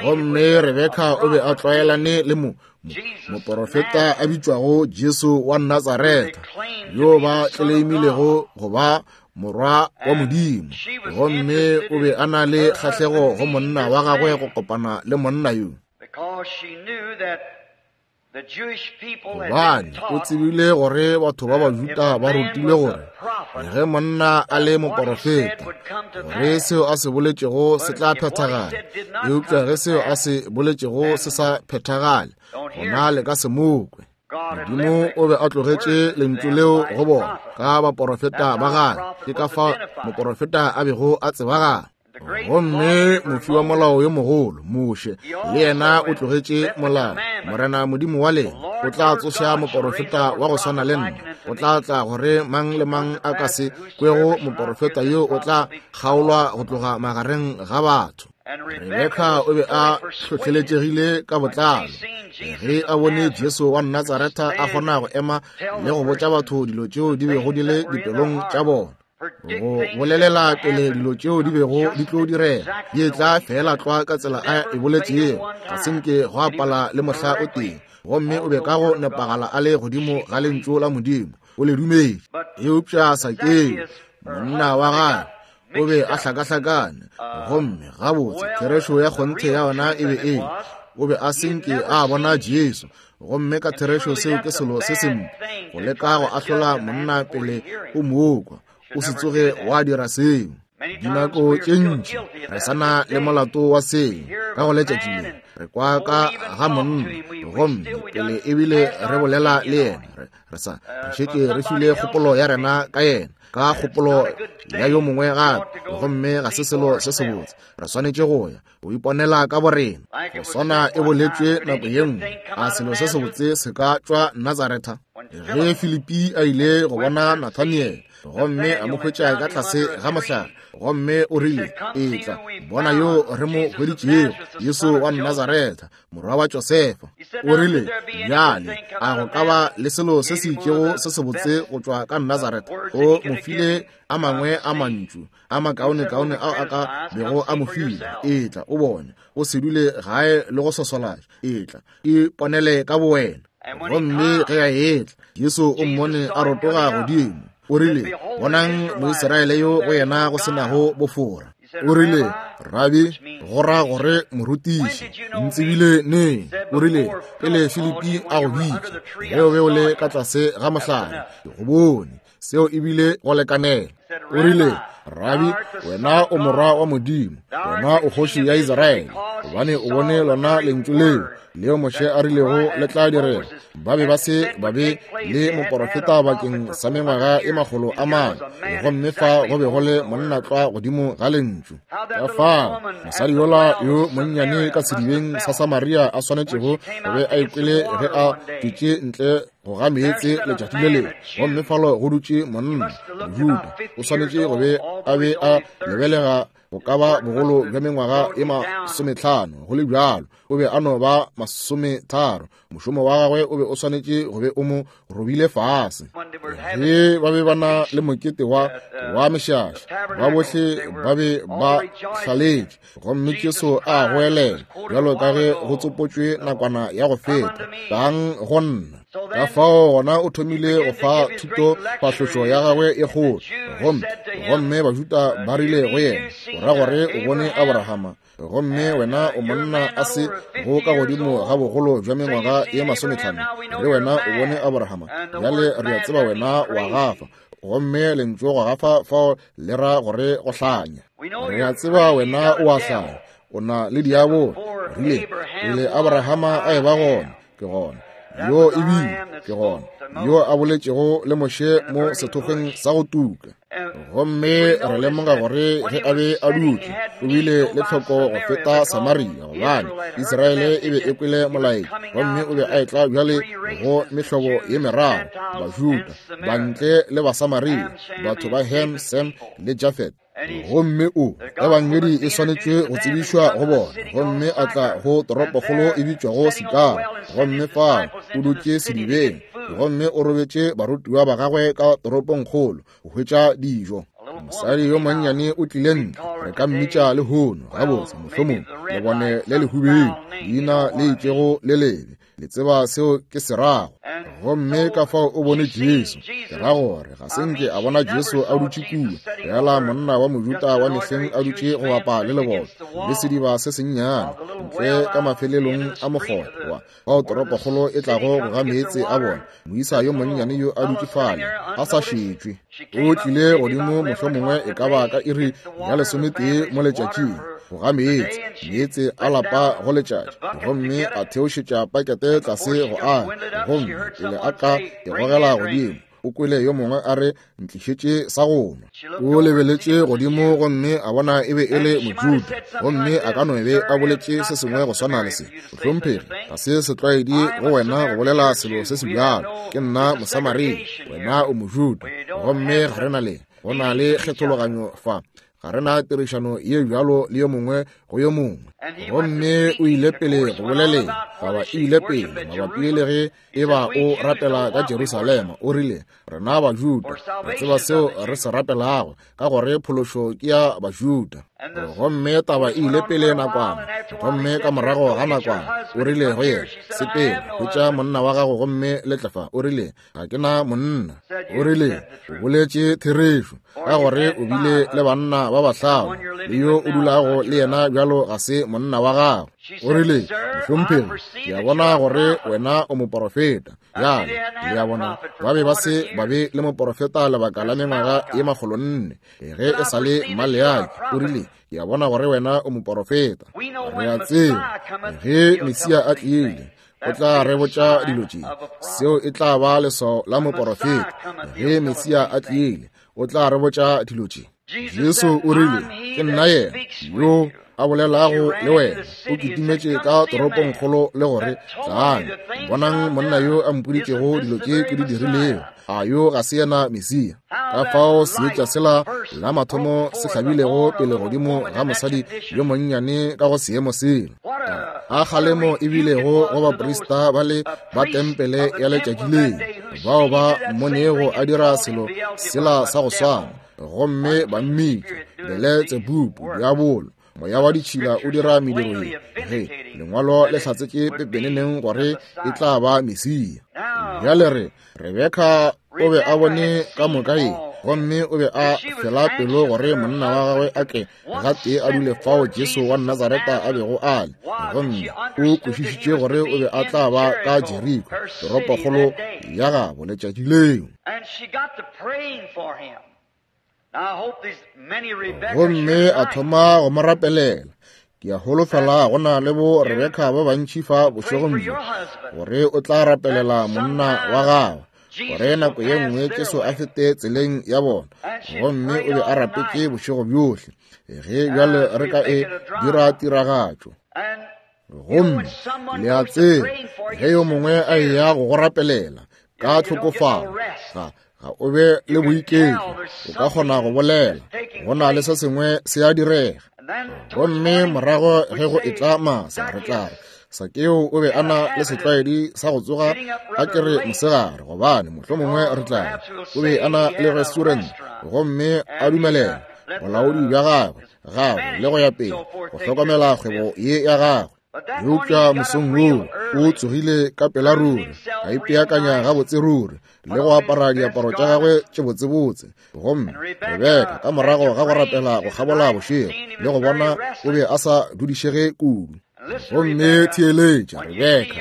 Gomme Rebeka o be a tlwaelane le mo moporofeta a bitšwago Jesu wa Natsaretha, yo ba tleleimilego go ba morwa wa Modimo, gomme o be a na le kgahlego go monna wa gagwe go kopana le monna yo. Gobane o tsebile gore batho ba Bajuda ba rutilwe gore ge monna a le moporofeta, gore seo a se boletšego se tla phethagala, eupša ge seo a se boletšego se sa phethagale, gona le ka se mo kwe. Modimo o be a tlogetše lentšu leo go bona ka baporofeta ba gagwe, ke ka fao moporofeta a bego a tsebagala. Gomme mofi wa molao yo mogolo Moshe le yena o tlogetše molao. Morena Modimo wa lena o tla tsoša moporofeta wa go swana le nna, o tla tla gore mang le mang a ka se kwego moporofeta yo o tla kgaolwa go tloga magareng ga batho. Rebeka o be a hlohleletšegile ka botlalo ge a bone Jesu wa Natsaretha a kgona go ema le go botša batho dilo tšeo di bego di le dipelong tša bona, go bolelela pele dilo tšeo di bego di tlo direga, di etla fela tlwa ka tsela a e boletšego, ga se nke go apala le mohla o tee. Gomme o be ka go nepagala a le godimo ga lentšu la Modimo, o le dumetše. Eupša Sakeo, monna wa gagwe, o be a hlakahlakane, gomme gabotse therešo ya kgonthe ya ona e be e o be a se nke a bona Jesu, gomme ka therešo seo ke selo se sempe, go leka go ahlola monna pele o mo kwa. O se tsoge wa dira seo. Dinako tše ntši re sa na le molato wa seo ka go letšatši le. Re kwa ka ga monna, gomme pele ebile re bolela le yena, re sa re šetše re file kgopolo ya rena ka yena, ka kgopolo ya yo mongwe gape, gomme ga se selo se sebotse. Re swanetše go ya go iponela ka borena. Go swana e boletšwe nako ye nngwe, a selo se sebotse se ka tšwa Natsaretha? Ge Filipi a ile go bona Nathaniel, gomme a mo hwetša ka tlase ga mohlare, gomme o rile, etla bona yo re mo hweditšego, Jesu wa Nazaretha, morwa wa Josefa. O rile, bjale a go ka ba le selo se se itšego se sebotse go tšwa ka Nazaretha? O mo file a mangwe a mantšu a makaonekaone ao a ka bego a mo file. Etla o bone, o se dule gae le go sosolatša, etla iponele ka bowena. Gomme ge a etla, Jesu o mmone a rotoga godimo, O rile, bonang Moisraele yo go yena go se nago bofora. O rile, Rabi, go ra gore morutiši, ntsebile neng? O rile, pele Filipi a go bitša, ge o be o le ka tlase ga mohlare, ke go bone. Seo ebile go lekanela. O rile, Rabi, wena o morwa wa Modimo, wena o kgoši ya Israele, gobane o bone lona lentšu leo leo Moshe a rilego le tla direga. Ba be ba se ba be le moporofeta bakeng sa mengwaga e makgolo a mane, gomme fa go be go le monna tlwa godimo ga lentšu. Ka fao mosadi yola yo monnyane ka sedibeng sa Samaria a swanetšego go be a ikwele ge a tšwetše ntle go ga meetse letšatši le lengwe, gomme falo go dutše monna Mojuda, o swanetše go be a be a lebelega go ka ba bogolo bja mengwaga e masometlhano, go le bjalo o be a no ba masometharo. Mošomo wa gagwe o be o swanetše go be o mo robile fase. Ge ba be ba na le mokete wa wa mešaša, ba bohle ba be ba hlaletše, gomme Jesu a goelela bjalo ka ge go tsopotšwe nakwana ya go feta, tlang go nna. Ka fao gona o thomile go fa thuto phahlošo ya gagwe e kgolo, gomme gomme Bajuda ba rile go yena, o ra gore o bone Abrahama, gomme wena o monna a se go ka godimo ga bogolo bja mengwaga ye masometlhano, re wena o bone Abrahama, bjale re a tseba wena wa gafa. Gomme lentšu go gafa fao le ra gore go hlanya. Re a tseba wena o a hlanya, o na le diabolo. Rile pele Abrahama a eba gona, ke gona yo ebile ke gona yo a boletšego le Moshe mo sethokgweng sa go tuka. Gomme re lemoga gore ge a be a dutše o bile le tlhoko go feta Samaria, gobane Israele e be e kwele molaetša, gomme o be a etla bjale go mehlobo ye meraro, Bajuda, Bantle le Basamaria, batho ba Ham, Sem le Jafet. Gomme o ebangedi e swanetše go tsebišwa go bona, gomme a tla go toropokgolo e bitšwago Sikara, gomme fao o dutše sedibeng, gomme o robetše barutiwa ba gagwe ka toropongkgolo go hwetša dijo. Mosadi yo monnyane o tlile ntle, re ka mmitša lehono, gabotse mohlomong lebone le lehubedu, leina le itšego le lebe, le tseba seo ke se rago. Gomme ka fao o bone Jesu, ke ra gore ga se nke a bona Jesu a dutše kua, fela monna wa Mojuda wa mehleng a dutše go bapa le leboto le sediba se sennyane ntle ka mafelelong a mokgotha wa fao toropokgolo e tlago go ga meetse a bona. Moisa yo monnyane yo a dutše fale a sa šetšwe, o tlile godimo mohlomongwe e ka ba ka iri ya lesometee mo letšatšing go ga meetse, meetse a lapa go letšatši, gomme a theošetša pakete tlase go a, gomme pele a ka e gogela godimo o kwele yo mongwe a re, ntlišetše sa go nwa. O lebeletše godimo gomme a bona e be e le Mojuda, gomme a ka no be a boletše se sengwe go swana le se, mohlomphegi, ga se setlwaedi go wena go bolela selo se se bjalo, ke nna Mosamaria, wena o Mojuda, gomme ga re na le go na le kgethologanyo fa, ga re na tirišano ye bjalo le yo mongwe go yo mongwe. Gomme o ile pele go boleleng, taba e ile pele mabapi le ge e ba o rapela ka Jerusalema. O rile, rena Bajuda re tseba seo re se rapelago, ka gore phološo ke ya Bajuda. Gomme taba e ile pele nakwana, gomme ka morago ga nakwana o rile go yena, sepela hwetša monna wa gago gomme le tle fa. O rile, ga ke na monna. O rile, o boletše therešo, ka gore o bile le banna ba bahlano, le yo o dulago le yena bjalo ga se monna wa gago. O rile, mohlomphegi, ke a bona gore wena o moporofeta. Bjale le a bona, ba be ba se ba be le moporofeta lebaka la mengwaga ye makgolo nne, ge e sa le Maleaki. O rile, ke a bona gore wena o moporofeta. Re a tseba ge Mesia a tlile o tla re botša dilo tše, seo e tla ba leswao la moporofeta. Ge Mesia a tlile o tla re botša dilo tše. Jesu o rile, ke nna yena yo a bolelago le wena. O kitimetše ka toropongkgolo le gore, tlang bonang monna yo a mpoditšego dilo tše ke di dirilego, a yo ga se yena Mesia? Ka fao seetša sela la mathomo se hlabilego pele godimo ga mosadi yo monnyane ka go seemo sela, a kgalemo e bilego go baprista ba le ba tempele ya letšatši leo, bao ba mmonego a dira selo sela sa go swana, gomme ba mmitša Beletsebubu, diabolo, moya wa ditšhila o dira mediro ye. Ge lengwalo le hlatsetše pepeneneng gore e tla ba Mesia. Bjale re Rebeka o be a bone ka moka ye, gomme o be a fela pelo gore monna wa gagwe a tle gatee a dule fao Jesu wa Nazareta a bego a le, gomme o kwešišitše gore o be a tla ba ka Jeriko, toropokgolo ya gabo letšatši leo. Gomme a thoma go mo rapelela. Ke a holofela go na le bo Rebeka ba bantši fa bošegong bjo, gore o tla rapelela monna wa gagwe, gore nako ye nngwe Jesu a fete tseleng ya bona. Gomme o be a rapetše bošego bjohle, ge bjale re ka e dira tiragatšo. Gomme le a tseba, ge yo mongwe a eya go go rapelela ka tlhokofalo, ga ga o be le boiketlo, o ka kgona go bolela, go na le se sengwe se a direga. Gomme morago ge go etla masa, re tla re Sakeo o be a na le setlwaedi sa go tsoga a kere mosegare, gobane mohlomongwe re tla re o be a na le restaurant, gomme a dumelela bolaodi bja gagwe gagwe le go ya pele go hlokomela kgwebo ye ya gagwe. Eupša mosong woo o tsogile ka pela ruri, a ipeakanya gabotse ruri le go apara diaparo tša gagwe tše botsebotse. Gomme Rebeka ka morago ga go rapela go kgabola bošego le go bona o be a sa dudišege kudu. Gomme theeletša Rebeka,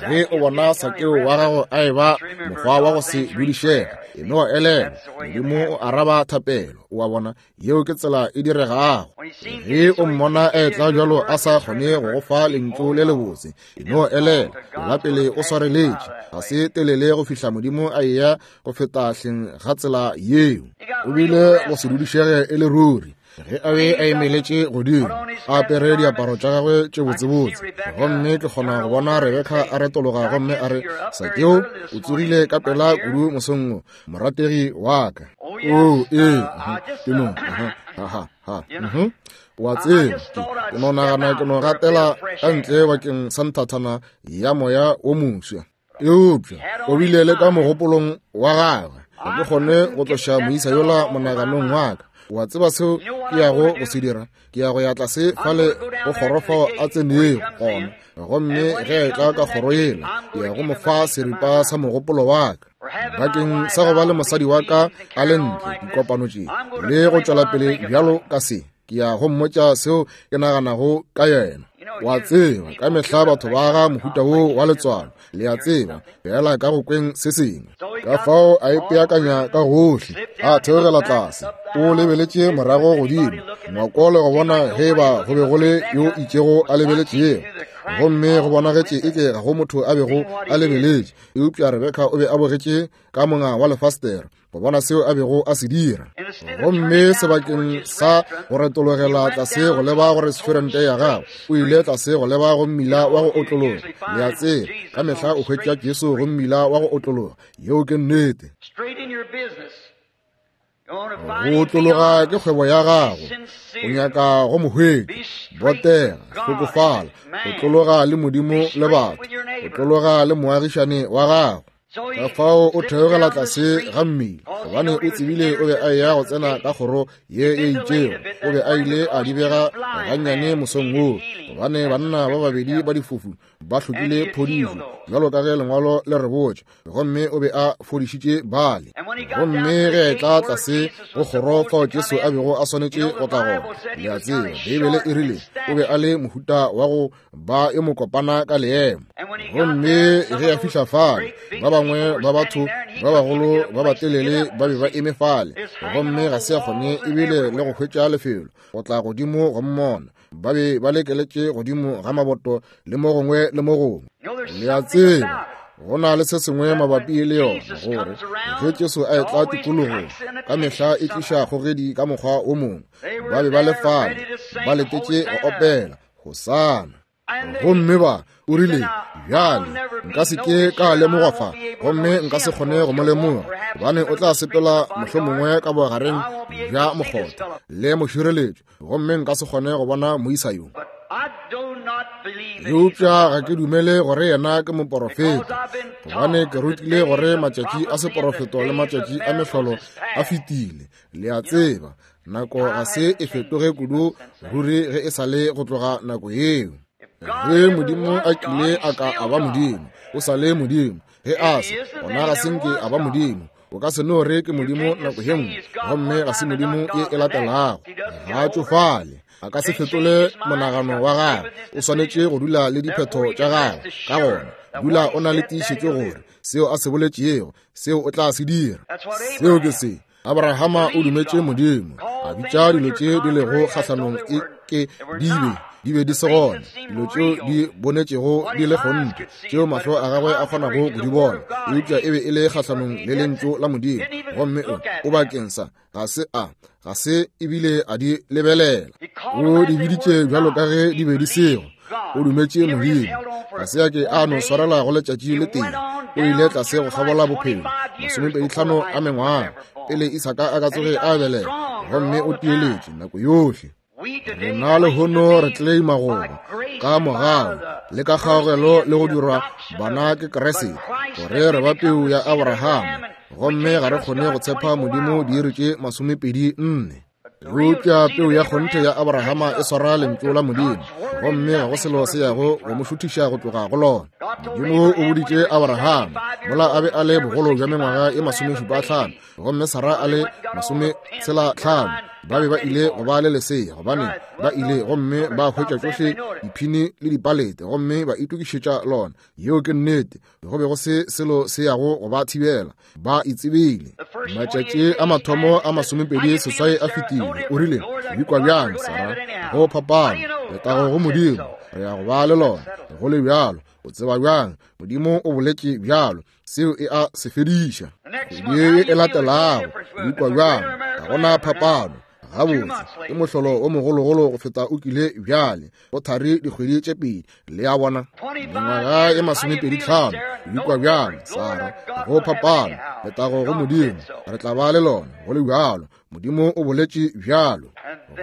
ge o bona Sakeo wa gago a eba mokgwa wa go se dudišege, e no elelwa, Modimo o araba thapelo. O a bona, yeo ke tsela e diregago. Ge o mmona a etla bjalo a sa kgone go go fa lentšu le lebotse, e no elelwa, la pele o swareletše, ga se telele go fihla Modimo a eya go feta hleng ga tsela yeo. O bile go se dudišege e le ruri ge a be a emeletše godimo, a apere diaparo tša gagwe tše botsebotse. Gomme ke kgona go bona Rebeka a retologa gomme a re, Sakeo, o tsogile ka pela kudu mosong wo, morategi wa ka. O ee, ke no, ha ha, o a tseba, ke no nagana ke no gatela ka ntle bakeng sa nthathana ya moya wo moswa. Eupša o bile le ka mogopolong wa gagwe, ga ke kgone go tloša moisa yola monaganong wa ka. O a tseba seo ke yago go se dira? Ke ya go ya tlase fale go kgoro fao a tsenego gona, gomme ge a etla ka kgoro yela, ke ya go mo fa seripa sa mogopolo wa ka bakeng sa go ba le mosadi wa ka a le ntle dikopano tše le go tšwela pele bjalo ka se. Ke ya go mmotša seo ke naganago ka yena. O a tseba, ka mehla batho ba ga mohuta wo wa letswalo, le a tseba, fela ka go kweng se sengwe. Ka fao a ipeakanya ka gohle, a theogela tlase, o lebeletše morago godimo ngwako le go bona ge ba go be go le yo itšego a lebeletšego. Gomme go bonagetše eke ga go motho a bego a lebeletše, eupša Rebeka o be a bogetše ka monga wa lefastere go bona seo a bego a se dira. Gomme sebakeng sa go retologela tlase go leba go restaurante ya gagwe, o ile tlase go leba go mmila wa go otlologa. Le a tseba, ka mehla o hwetša Jesu go mmila wa go otlologa. Yeo ke nnete. Go otlologa ke kgwebo ya gago, o nyaka go mo hwetša, botega, hlokofala, go tlologa le Modimo le batho, go tlologa le moagišane wa gago. Ka fao o theogela tlase ga mmila, gobane o tsebile o be a eya go tsena ka kgoro ye e itšego. O be a ile a di bega gannyane mosong woo, gobane banna ba babedi ba difofu ba hlokile phodišo, bjalo ka ge lengwalo le re botša, gomme o be a fodišitše bale. Gomme ge a etla tlase go kgoro fao Jesu a bego a swanetše go tla gona, le a tseba, Beibele e rile o be a le mohuta wa go ba yo mokopana ka leemo. Gomme ge a fihla fale, ba bangwe ba batho ba bagolo ba batelele ba be ba eme fale, gomme ga se a kgone ebile le go hwetša lefelo go tla godimo go mmona. Ba be ba lekeletše godimo ga maboto le mo gongwe le mo gongwe. Le a tseba, go na le se sengwe mabapi le yona, gore ge Jesu a etla tikologong, ka mehla e tliša kgogedi ka mokgwa o mongwe. Ba be ba le fale, ba letetše go opela Hosana. Gomme ba o rile, bjale nka se ke ka lemogwa fa, gomme nka se kgone go mo lemoga, gobane o tla sepela mohlomongwe ka bogareng bja mokgotha le mošireletšo, gomme nka se kgone go bona moisa yo. Eupša ga ke dumele gore yena ke moporofeta, gobane ke rutile gore matšatši a seporofeto le matšatši a mehlolo a fetile. Le a tseba, nako ga se e fetoge kudu ruri ge e sa le go tloga nako yeo. Ge Modimo a kile a ka a ba Modimo, o sa le Modimo. Ge a se, gona ga se nke a ba Modimo, O ka se no re ke Modimo nako ye nngwe gomme ga se Modimo ye e latelago. Ga a tšofale, a ka se fetole monagano wa gagwe. O swanetše go dula le diphetho tša gagwe. Ka gona dula o na le tiišetšo gore seo a se boletšego seo o tla se dira. Seo ke se Abrahama o dumetše Modimo, a bitša dilo tše di lego kgahlanong e ke di be di be di se gona, dilo tšeo di bonetšego di le kgonthe, tšeo mahlo a gagwe a kgonago go di bona, eupša e be e le kgahlanong le lentšu la Modimo. Gomme o o bakeng sa ga se a ga se ebile a di lebelela. O di biditše bjalo ka ge di be di sego. O dumetše Modimo. Ga se a ke a no swarela go letšatši le tee. O ile tlase go kgabola bophelo masomepedi tlhano a mengwaga pele Isaka a ka tsoge a belega, gomme o tieletše nako yohle. Rena lehono re claima goba ka mogau le ka kgaogelo le go dirwa bana ke Kriste, gore re ba peu ya Abrahama, gomme ga re kgone go tshepa Modimo diiri tše masomepedi nne. Eupša peu ya kgonthe ya Abrahama e swara lentšu la Modimo, gomme ga go selo se yago go mo šuthiša go tloga go lona. Modimo o boditše Abrahama mola a be a le bogolo bja mengwaga e masomešupa tlhano, gomme Sara a le masometshela tlhano, ba be ba ile go ba le lesea, gobane ba ile gomme ba hwetša tšohle diphini le dipalete gomme ba itokišetša lona. Yeo ke nnete. Go be go se selo se yago go ba thibela. Ba itsebile. Matšatši a mathomo a masomepedi seswai a fetile. O rile, o ikwa bjang, Sara? Go phapano. Letago go Modimo. Re ya go ba le lona. Go le bjalo. O tseba bjang? Modimo o boletše bjalo. Seo e a se fediša. Kgwedi e latelago, o ikwa bjang? Ga gona phapano. Gabotse, ke mohlolo o mogologolo go feta o kile bjale. Go thari dikgwedi tše pedi. Le a bona? Mengwaga e masomepedi tlhano. O ikwa bjang, Sara? Go phapano. Letago go Modimo. Re tla ba le lona. Go le bjalo. Modimo o boletše bjalo.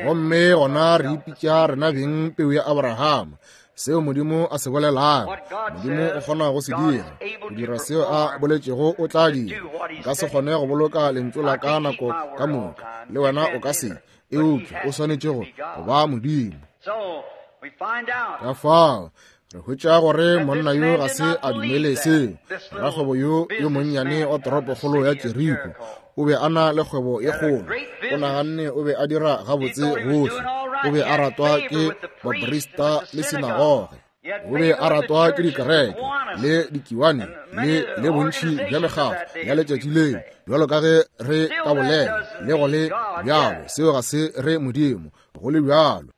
Gomme gona re ipitša rena beng peu ya Abrahama. Seo Modimo a se bolelago, Modimo o kgona go se dira. Go dira seo a boletšego o tla dira. Nka se kgone go boloka lentšu la ka nako ka moka, le wena o ka se, eupša o swanetše go go ba Modimo. Ka fao re hwetša gore monna yo ga se a dumele seo. Rakgwebo yo yo monnyane wa toropokgolo ya Jeriko o be a na le kgwebo ye kgolo. O naganne o be a dira gabotse gohle. O be a ratwa ke baprista le sinagoge. O be a ratwa ke dikereke le dikiwane le le bontši bja mekgatlo ya letšatši leo, bjalo ka ge re ka bolela le go le bjalo. Seo ga se re Modimo. Go le bjalo.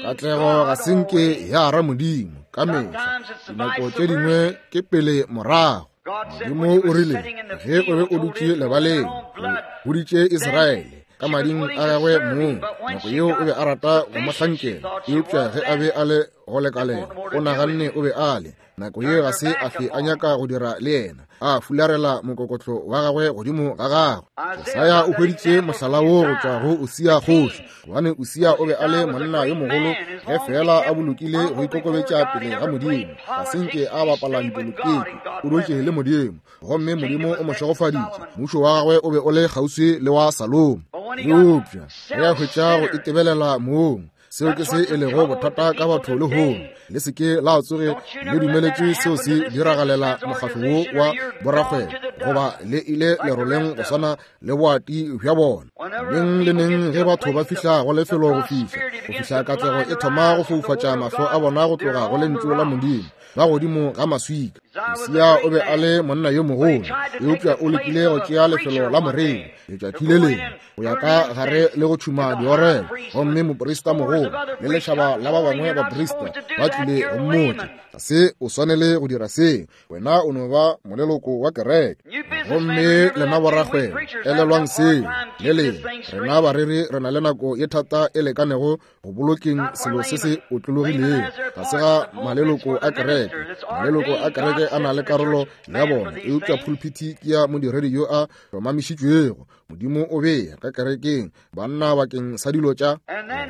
Katlego ga se nke ya ra Modimo ka mehla. Dinako tše dingwe ke pele morago. Modimo o rile ge o be o dutše lebaleng, o boditše Israele ka mading a gagwe mong. Nako yeo o be a rata go mo hlankela, eupša ge a be a le go lekalela, o naganne o be a le. Nako yeo ga se a fe a nyaka go dira le yena, a fularela mokokotlo wa gagwe godimo ga gagwe. Jesaya o hweditše mohlala wo go tšwa go Usia kgoši, gobane Usia o be a le monna yo mogolo ge fela a bolokile go ikokobetša pele ga Modimo. Ga se nke a bapala dipolotiki, o dutše le Modimo, gomme Modimo o mo šegofaditše. Mmušo wa gagwe o be o le kgauswi le wa Salomo. Eupša ge a hwetša go itebelela mong, seo ke se e lego bothata ka batho lehono. Le se ke la tsoge le dumeletše seo se diragalela mokgatlo wo wa borakgwebo, goba le ile leroleng go swana le boati bja bona. Neng le neng ge batho ba fihla go lefelo go fihla, go fihla katlego e thoma go foufatša mahlo a bona go tloga go lentšu la Modimo, ba godimo ga maswika. Usia o be a le monna yo mogolo, eupša o lekile go tšea lefelo la moreri letšatši le lengwe go ya ka gare le go tšhuma diorelo, gomme moprista mogolo le lešaba la ba bangwe baprista ba tlile go mmotša, ga se o swanele go dira seo, wena o no ba moleloko wa kereke. Gomme lena borakgwebo, elelwang seo le lengwe. Rena bareri re na le nako ye thata e lekanego go bolokeng selo se se otlologilego. Ga se ga maleloko a kereke. Maleloko a kereke a na le karolo ya bona, eupša pulpiti ke ya modiredi yo a hlomamišitšwego. Modimo o bea ka kerekeng banna bakeng sa dilo tša.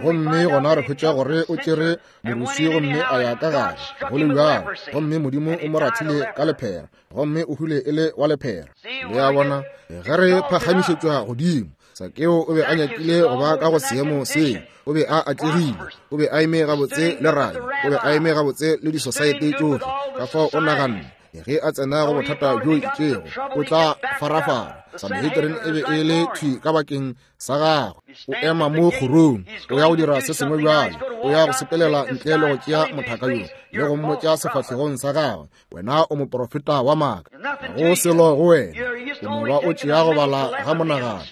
Gomme gona re hwetša gore o tšere moruswi gomme a ya ka gare go le bjalo, gomme Modimo o mo rathile ka lephera, gomme o hwile e le wa lephera. Le a bona, ge re phagamišetšwa godimo, Sakeo o be a nyakile go ba ka go seemo seo. O be a atlegile, o be a eme gabotse le rabi, o be a eme gabotse le disosaete tšohle. Ka fao o naganne Ge a tsena go bothata bjo itšego, o tla farafara. Sanhedrin e be e le thwi ka bakeng sa gagwe. O ema mo kgorong, o ya go dira se sengwe bjalo, o ya go sepelela ntle le go tšea mothaka yo le go mmotša sefahlegong sa gagwe, wena o moprofeta wa maaka, go selo go wena, o no ba o tšea go bala ga monagano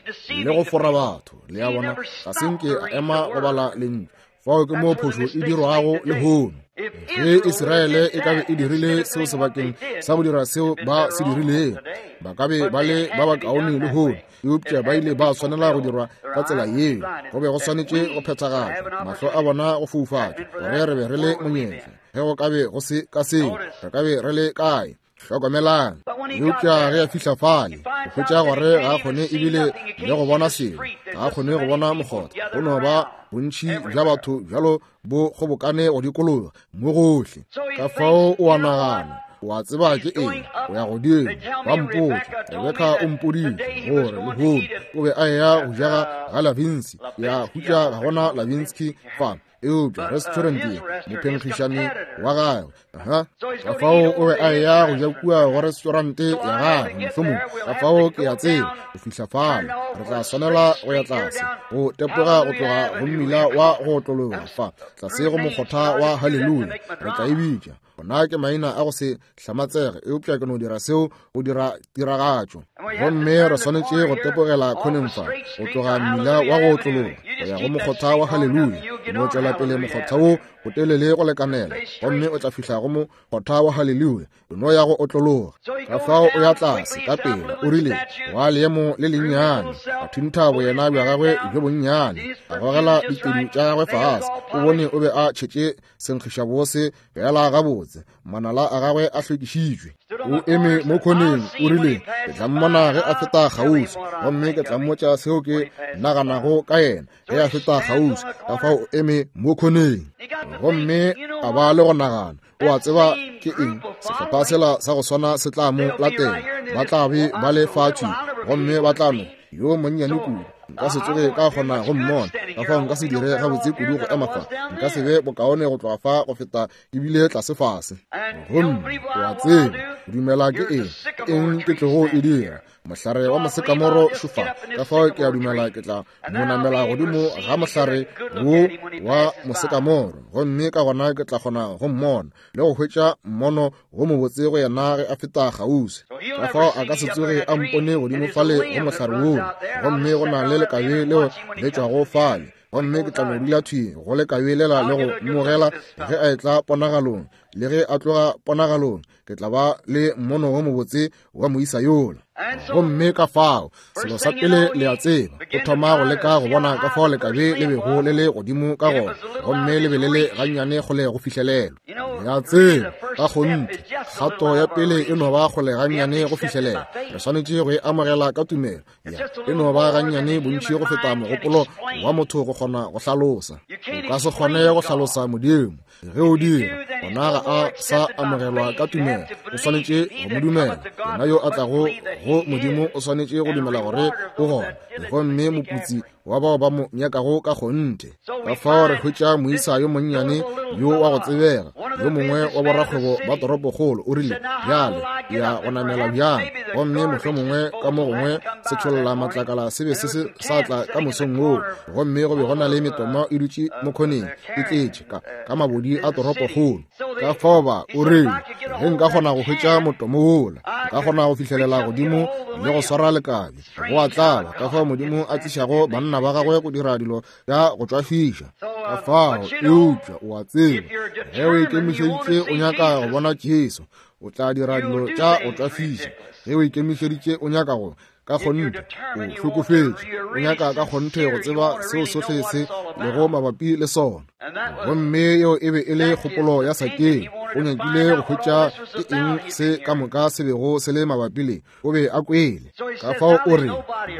le go fora batho. Le a bona, ga se nke a ema go bala lentšu. Fao ke mo phošo e dirwago lehono. Ge Israele e ka be e dirile seo sebakeng sa go dira seo ba se dirilego, ba ka be ba le ba bakaone lehono, eupša ba ile ba swanela go dirwa ka tsela yeo. Go be go swanetše go phethagatšwa, mahlo a bona go foufatšwa, gore re be re le monyetla. Ge go ka be go se ka seo, re ka be re le kae? Hlokomelang. Eupša ge a fihla fale, o hwetša gore ga a kgone ebile le go bona selo, ga a kgone go bona mokgotha. Go no ba bontši bja batho bjalo bo kgobokane go dikologa mo gohle. Ka fao o a nagana, o a tseba ke eng, o ya godimo. Ba mpotša, Rebeka o mpoditše gore lehono o be a eya go jega ga Lavinsky. Ya hutša ga gona Lavinsky fa, eupša restaurant ye, mophenkgišani wa gagwe. Aha, ka fao o be a eya go ja kua go restaurant ya gagwe mohlomong. Ka fao ke a tseba go fihla fale re tla swanela go ya tlase, go tepoga go tloga go mmila wa go otlologa fa tlase go mokgotha wa Haleluya, re tla e bitša. Ona ke maina a go se hlamatsege, eupša ke no dira seo go dira tiragatšo. Gomme re swanetše go tepogela khoneng fa, go tloga mmila wa go otlologa go ya go mokgotha wa Haleluya. No tšwela pele mokgotha wo o telele go lekanela, gomme o tla fihla go mokgotha wa Haleluya. No ya go otlologa. Ka fao o ya tlase ka pela, o rile wa leemo le lennyane, a thuntha boyena bja gagwe bjo bonnyane, a gogela ditedu tša gagwe fase. O bone o be a tšhetše senkgišabose fela gabotse, manala a gagwe a hlwekišitšwe. O eme mo khoneng, o rile, ke tla mmona ge a feta kgauswi, gomme ke tla mmotša seo ke naganago ka yena ge a feta kgauswi. Ka fao o eme mo khoneng, gomme a ba le go nagana, o a tseba ke eng, sehlopha sela sa go swana se tla mo latela, ba tla be ba le fatšwi, gomme ba tla no yo monnyane kudu, nka se tsoge ka kgona go mmona. Ka fao nka se dire gabotse kudu go ema fa, nka se be bokaone go tloga fa go feta ebile tlase fase. Gomme o a tseba, go dumela ke eng, ke eng ke tlogo e dira? Mohlare wa mosekamoro šofa. Ka fao ke a dumela ke tla mo namela godimo ga mohlare wo wa mosekamoro, gomme ka gona ke tla kgona go mmona le go hwetša mmono wo mobotse go yena ge a feta kgauswi. Ka fao a ka se tsoge a mpone godimo fale go mohlare woo, gomme go na le lekabe leo le tšwago fale, gomme ke tla no dula thwi go lekabe lela le go mmogela ge a etla ponagalong, le ge a tloga ponagalong ke tla ba le mmono wo mobotse wa moisa yola. Gomme ka fao selo sa pele le a tseba, o thoma go leka go bona ka fao lekabe le bego le le godimo ka gona, gomme le be le le gannyane kgole go fihlelelwa. Le a tseba, ka kgonthe kgato ya pele e no ba kgole gannyane go fihlelelwa. Re swanetše go e amogela ka tumelo. Ya, e no ba gannyane bontši go feta mogopolo wa motho go kgona go hlalosa. O ka se kgone go hlalosa Modimo. Ge o dira, gona ga a sa amogelwa ka tumelo. O swanetše go mo dumela. Yena yo a tlago go Modimo o swanetše go dumela gore o gona, gomme moputsi wa bao ba mo nyakago ka kgonthe. Ka fao re hwetša moisa yo monnyane yo wa go tsebega, yo mongwe wa borakgwebo ba toropokgolo, o rile, bjale ya go namela bjang, gomme mohlomongwe ka mo gongwe setšholla matlakala se be se se sa tla ka mosong woo, gomme go be go na le metomo e dutše mo khoneng e tletše ka ka mabodi a toropokgolo. Ka fao ba o rile, ge nka kgona go hwetša motomo wola, nka kgona go fihlelela godimo le go swara lekabe. Go a tlala ka fao Modimo a tlišago banna ba gagwe go dira dilo tša go tšwafiša. Ka fao, eupša o a tseba, ge o ikemišeditše o nyaka go bona Jesu, o tla dira dilo tša go tšwafiša. Ge o ikemišeditše o nyaka go ka kgonthe, o hlokofetše, o nyaka ka kgonthe go tseba seo sohle se lego mabapi le sona. Gomme yeo e be e le kgopolo ya Sakeo. O nyakile go hwetša ke eng se ka moka se bego se le mabapi le. O be a kwele. Ka fao o re,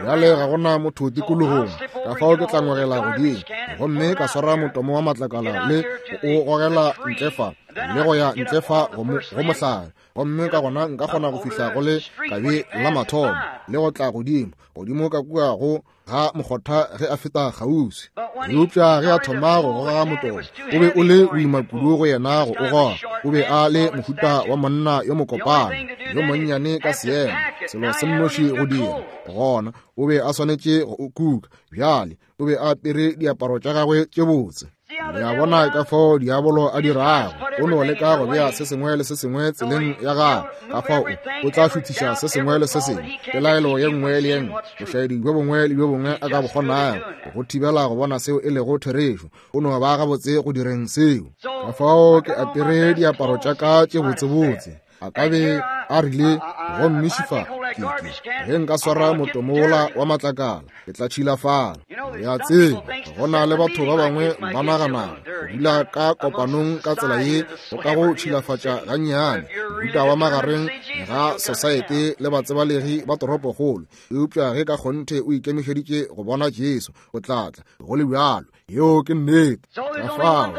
bjale ga gona motho tikologong, ka fao ke tla ngwegela godimo, gomme ka swara motomo wa matlakala le go o gogela ntle fa, le go ya ntle fa go mohlare, gomme ka gona nka kgona go fihla go le kabe la mathomo. le go tla godimo godimo ka kua go ga mokgotha ge a feta kgauswi. Eupša ge a thoma go goga motomo, o be o le boima kudu go yena go o goga. O be a le mohuta wa monna yo mokopana, yo monnyane ka seemo, selo se nnoši go dira gona o be a swanetše go o kuka. Bjale o be a apere diaparo tša gagwe tše botse. Le a bona ka fao diabolo a dirago, o no leka go bea se sengwe le se sengwe tseleng ya gagwe. Ka fao o tla šuthiša se sengwe le se sengwe, pelaelo ye nngwe le ye nngwe, bošaedi bjo bongwe le bjo bongwe a ka bo kgonago go thibela go bona seo e lego therešo. O no ba gabotse go direng seo. Ka fao ke apere diaparo tša ka tše botsebotse. A ka be a rile, gomme šifa ke ke ge nka swara motomo wola wa matlakala, ke tla tšhilafala. Le a tseba, go na le batho ba bangwe ba naganago go dula ka kopanong ka tsela ye go ka go tšhilafatša gannyane, mohuta wa magareng ga sosaete le batsebalegi ba toropokgolo. Eupša ge ka kgonthe o ikemišeditše go bona Jesu, o tla tla go le bjalo. Yeo ke nnete. Ka fao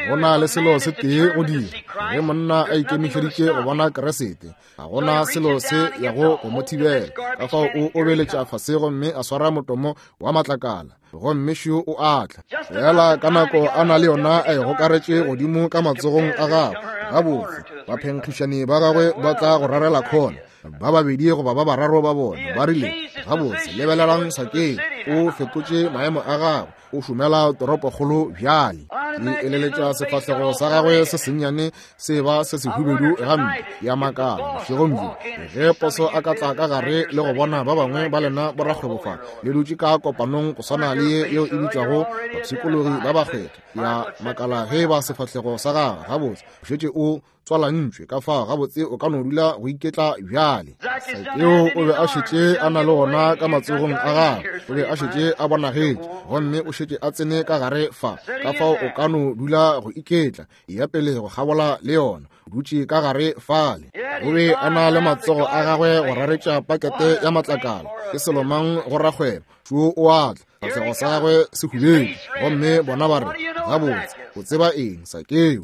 go na le selo se tee go dira. Ge monna a ikemišeditše go bona Keresete, ga gona selo se yago go mo thibela. Ka fao o obeletša fase gomme a swara motomo wa matlakala, gomme šo o atla. Fela ka nako a na le yona a e gokaretše godimo ka matsogong a gagwe. Gabotse, baphenkgišani ba gagwe ba tla go rarela khona, ba babedi goba ba bararo ba bona ba rile, gabotse, lebelelang Sakeo, o fetotše maemo a gagwe, o šomela toropokgolo bjale. Ke eleletša sefahlego sa gagwe se sennyane se ba se sehubedu gampe. Ya makala bošegong bjo ge poso a ka tla ka gare le go bona ba bangwe ba lena borakgwebo fa le dutše ka kopanong go swana le ye yeo e bitšwago bapshikologi ba bakgethwa. Ya makala ge ba sefahlego sa gagwe, gabotse, o šetše o tswalantšwe. Ka fao gabotse o ka no dula go iketla bjale. Sakeo o be a šetše a na le gona ka matsogong a gagwe, o be a šetše a bonagetše, gomme o šetše a tsene ka gare fa. Ka fao o ka no dula go iketla, ya pele go kgabola le yona, o dutše ka gare fale. O be a na le matsogo a gagwe go raretša pakete ya matlakala. Ke selo mang go rakgwebo? Šo o atla, sefahlego sa gagwe se hubedu, gomme bona ba re, gabotse, o tseba eng Sakeo?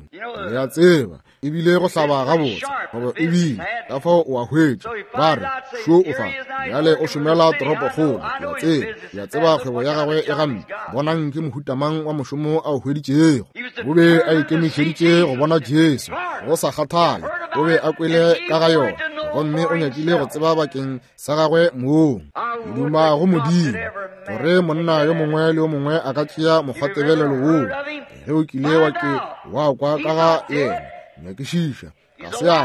Le a tseba, ebile go hlaba gabotse, goba ebile ka fao o a hwetša. Ba re, šo o fa bjale o šomela toropokgolo. Ke a tseba, ke a tseba kgwebo ya gagwe e gampe. Bonang ke mohuta mang wa mošomo a o hweditšego. O be a ikemišeditše go bona Jesu, go sa kgathale, o be a kwele ka ga yona, gomme o nyakile go tseba bakeng sa gagwe mong. Ke duma go Modimo gore monna yo mongwe le yo mongwe a ka tšea mokgwatebelelo woo. Ge o kile wa ke wa kwa ka ga yena, nyakišiša, ga se a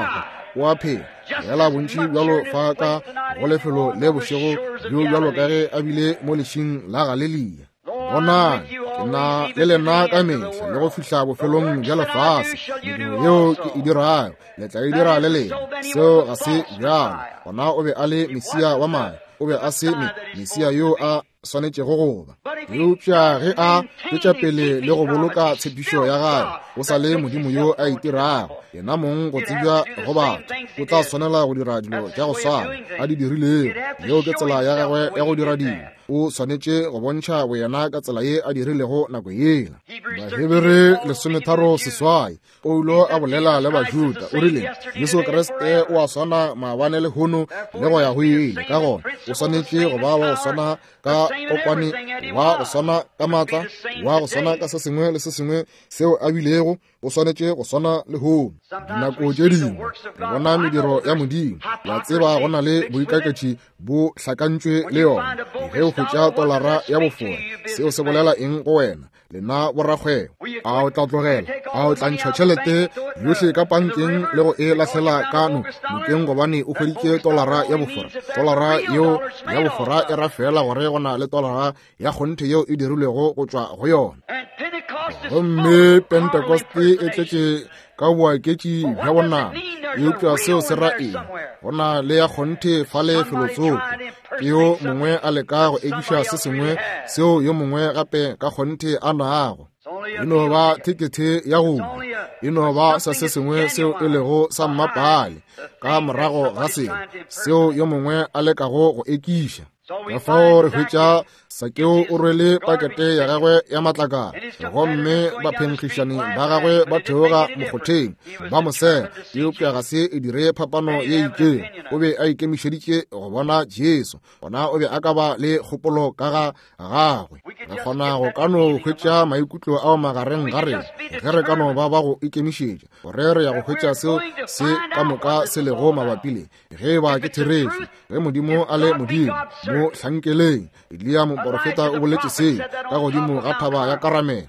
hwa, o a phela. Fela bontši bjalo fa ka go lefelo le bošego bjo bjalo ka ge a bile mo lešing la Galelia. Bonang, ke na le lena ka mehla le go fihla bofelong bja lefase. Mediro yeo ke e dirago le tla e dira le lena. Seo ga se bjalo. Gona o be a le Mesia wa madi, o be a se Mesia yo a swanetšego go ba. Eupša ge a tšwetša pele le go boloka tshepišo ya gagwe, o sa le Modimo yo a itirago yena mong go tsebja go batho. O tla swanela go dira dilo tša go swana a di dirilego. Yeo ke tsela ya gagwe ya go dira dilo. O swanetše go bontšha boyena ka tsela ye a dirilego nako yela. Bahebere lesometharo seswai, Paulo a bolela le Bajuda, o rile, Jesu Kriste o a swana maabane lehono le go ya go ile. Ka gona o swanetše go ba wa go swana ka kokwane, wa go swana ka maatla, wa go swana ka se sengwe le se sengwe seo a bilego. O swanetše go swana lehono. Dinako tše dingwe re bona mediro ya Modimo. La tseba go na le boikaketši bo hlakantšwe le yona. Ge o hwetša tolara ya bofora, seo se bolela eng go wena, lena borakgwebo? A o tla tlogela? A o tla ntšha tšhelete yohle ka pankeng le go e lahlela ka no nokeng gobane o hweditše tolara ya bofora? Tolara yeo ya bofora e ra fela gore go na le tolara ya kgonthe yeo e dirilwego go tšwa go yona. Gomme Pentekoste e tletše ka boaketši bja bonama. Eupša seo se ra eng? Go na le ya kgonthe fale felotsoko. Ke yo mongwe a leka go ekiša se sengwe seo yo mongwe gape ka kgonthe a nago. E no ba thekethe ya go e no ba sa se sengwe seo e lego sa mmapale ka morago ga seo seo yo mongwe a lekago go ekiša. Ka fao re hwetša Sakeo o rwele pakete ya gagwe ya matlakala, gomme baphenkgišani ba gagwe ba theoga mokgotheng ba mo sega, eupša ga se e dire phapano ye itšego. O be a ikemišeditše go bona Jesu, gona o be a ka ba le kgopolo ka ga gagwe. Re kgona go ka no hwetša maikutlo ao magareng ga rena ge re ka no ba ba go ikemišetša gore re ya go hwetša seo se ka moka se lego mabapi le ge ba ke therešo. Ge Modimo a le Modimo, mo hlankeleng. Eliya moporofeta o boletše seo ka godimo ga thaba ya Karamele.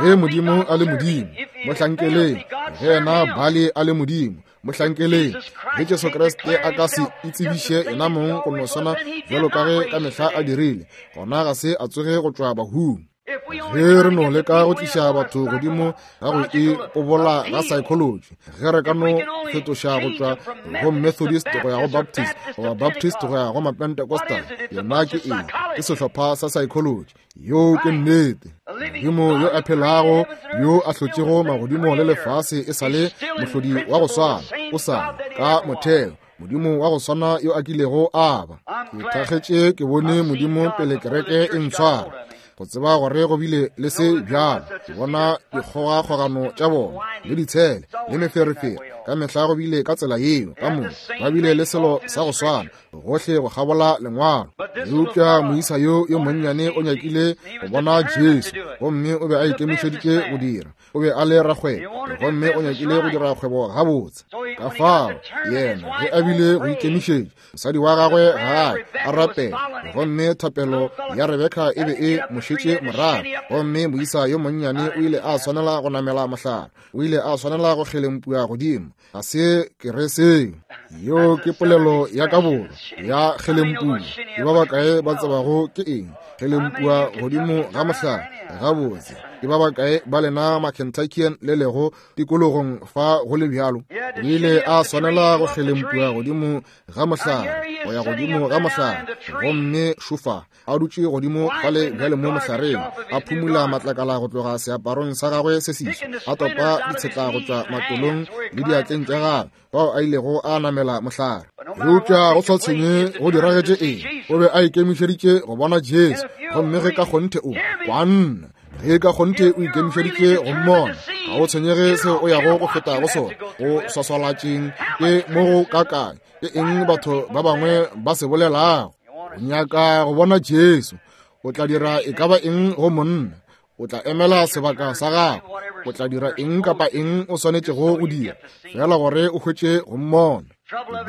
Ge Modimo a le Modimo, mo hlankeleng. Ge yena Baali a le Modimo, mo hlankeleng. Ge Jesu Kriste a ka se itsebiše yena mong go no swana bjalo ka ge ka mehla a dirile, gona ga se a tsoge go tšwa bahung. Ge re no leka go tliša batho godimo ga go ipobola ga psychology, ge re ka no fetoša go tšwa go Methodist go ya go Baptist, goba Baptist go ya go Mapentecostal, yona ke eng? Ke sehlopha sa psychology. Yo ke nnete. Modimo yo a phelago, yo a hlotšego magodimo le lefase e sa le mohlodi wa go swana, o sa ka motheo Modimo wa go swana yo a kilego a ba. Ke thakgetše ke bone Modimo pele kereke e ntshwara, go tseba gore go bile le se bjalo. Ke bona dikgogakgogano tša bona le ditshele le meferefere ka mehla go bile ka tsela yeo. Ka moka ba bile le selo sa go swana gohle go kgabola lengwalo. Eupša moisa yo yo monnyane o nyakile go bona Jesu, gomme o be a ikemišeditše go dira. O be a le rakgwebo, gomme o nyakile go dira kgwebo gabotse. Ka fao yena ge a bile go ikemišetša, mosadi wa gagwe gae a rapela, gomme thapelo ya Rebeka e be e mo šetše morago. Gomme moisa yo monnyane o ile a swanela go namela mohlare, o ile a swanela go kgelempua godimo. Ga se ke re seo, yeo ke polelo ya ka borwa ya kgelempua. Ke ba bakae ba tsebago ke eng kgelempua godimo ga mohlare? Gabotse, ke ba bakae ba lena ma-Kentuckian le lego tikologong fa go le bjalo? O ile a swanela go kgelempua godimo ga mohlare, go ya godimo ga mohlare, gomme šofa a dutše godimo fale bjale mo mohlareng, a phumula matlakala go tloga seaparong sa gagwe se seswa, a topa ditshetla go tšwa matolong le diatleng tša gagwe, bao a ilego a namela mohlare. Eupša go sa tshwenye go diragetše eng, o be a ikemišeditše go bona Jesu. Gomme ge ka kgonthe o kwanna, ge ka kgonthe o ikemišeditše go mmona, ga o tshwenyege seo o yago go feta go sona, go swaswalatšeng ke mo go kakae, ke eng batho ba bangwe ba se bolelago. O nyaka go bona Jesu, o tla dira e ka ba eng go monna, o tla emela sebaka sa gago, o tla dira eng kapa eng o swanetšego go dira, fela gore o hwetše go mmona.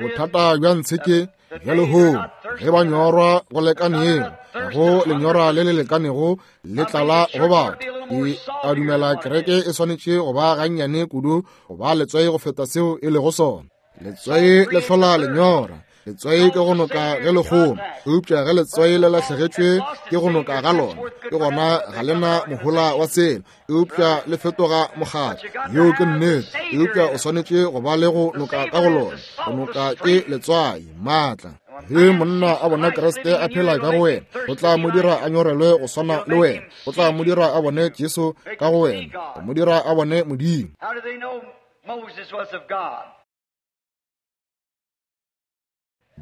Bothata bja ntshe ke bja lehono, ge ba nyorwa go lekanego, go lenyora le le lekanego le tlala go batho. Ke a dumela kereke e swanetše go ba gannyane kudu go ba letswai go feta seo e lego sona. Letswai le hlola lenyora. Letswai ke go noka ge le kgoma, eupša ge letswai le lahlegetšwe ke go noka ga lona, ke gona ga lena mohola wa selo, eupša le fetoga mokgatlo. Yeo ke nnete. Eupša o swanetše go ba le go noka ka go lona. Go noka ke letswai, maatla. Ge monna a bona Kriste a phela ka go wena, go tla mo dira a nyorelwe go swana le wena, go tla mo dira a bone Jesu ka go wena, go mo dira a bone Modimo.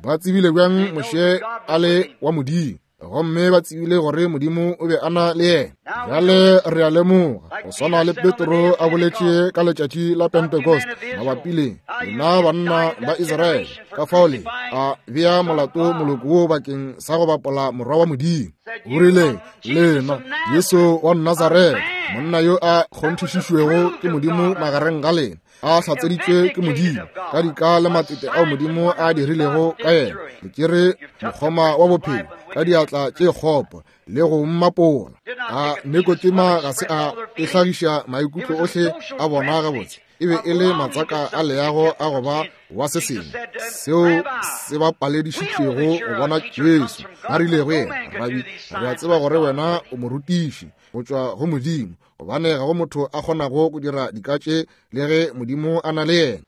Ba tsebile bjang Moshe a le wa Modimo, gomme ba tsebile gore Modimo o be a na le yena. Bjale re a lemoga, go swana le Petro a boletše ka letšatši la Pentecost mabapi le lena banna ba Israele, ka fao le a bea molato moloko wo bakeng sa go bapola morwa wa Modimo. O rile, lena Jesu wa Nazaretha, monna yo a kgonthišišwego ke Modimo magareng ga lena, a hlatseditšwe ke Modimo ka dika le matete ao Modimo a dirilego ka yena, le tšere mokgoma wa bophelo ka diatla tše kgopo le go mmapola. A Nikodema ga se a e hlagiša maikutlo ohle a bona gabotse, e be e le matsaka a leago a go ba wa se sengwe seo se ba paledišitšego go bona Jesu. Ba rile go yena, Rabi, re a tseba gore wena o morutiši go tšwa go Modimo, gobane ga go motho a kgonago go dira dika tše le ge Modimo a na le yena.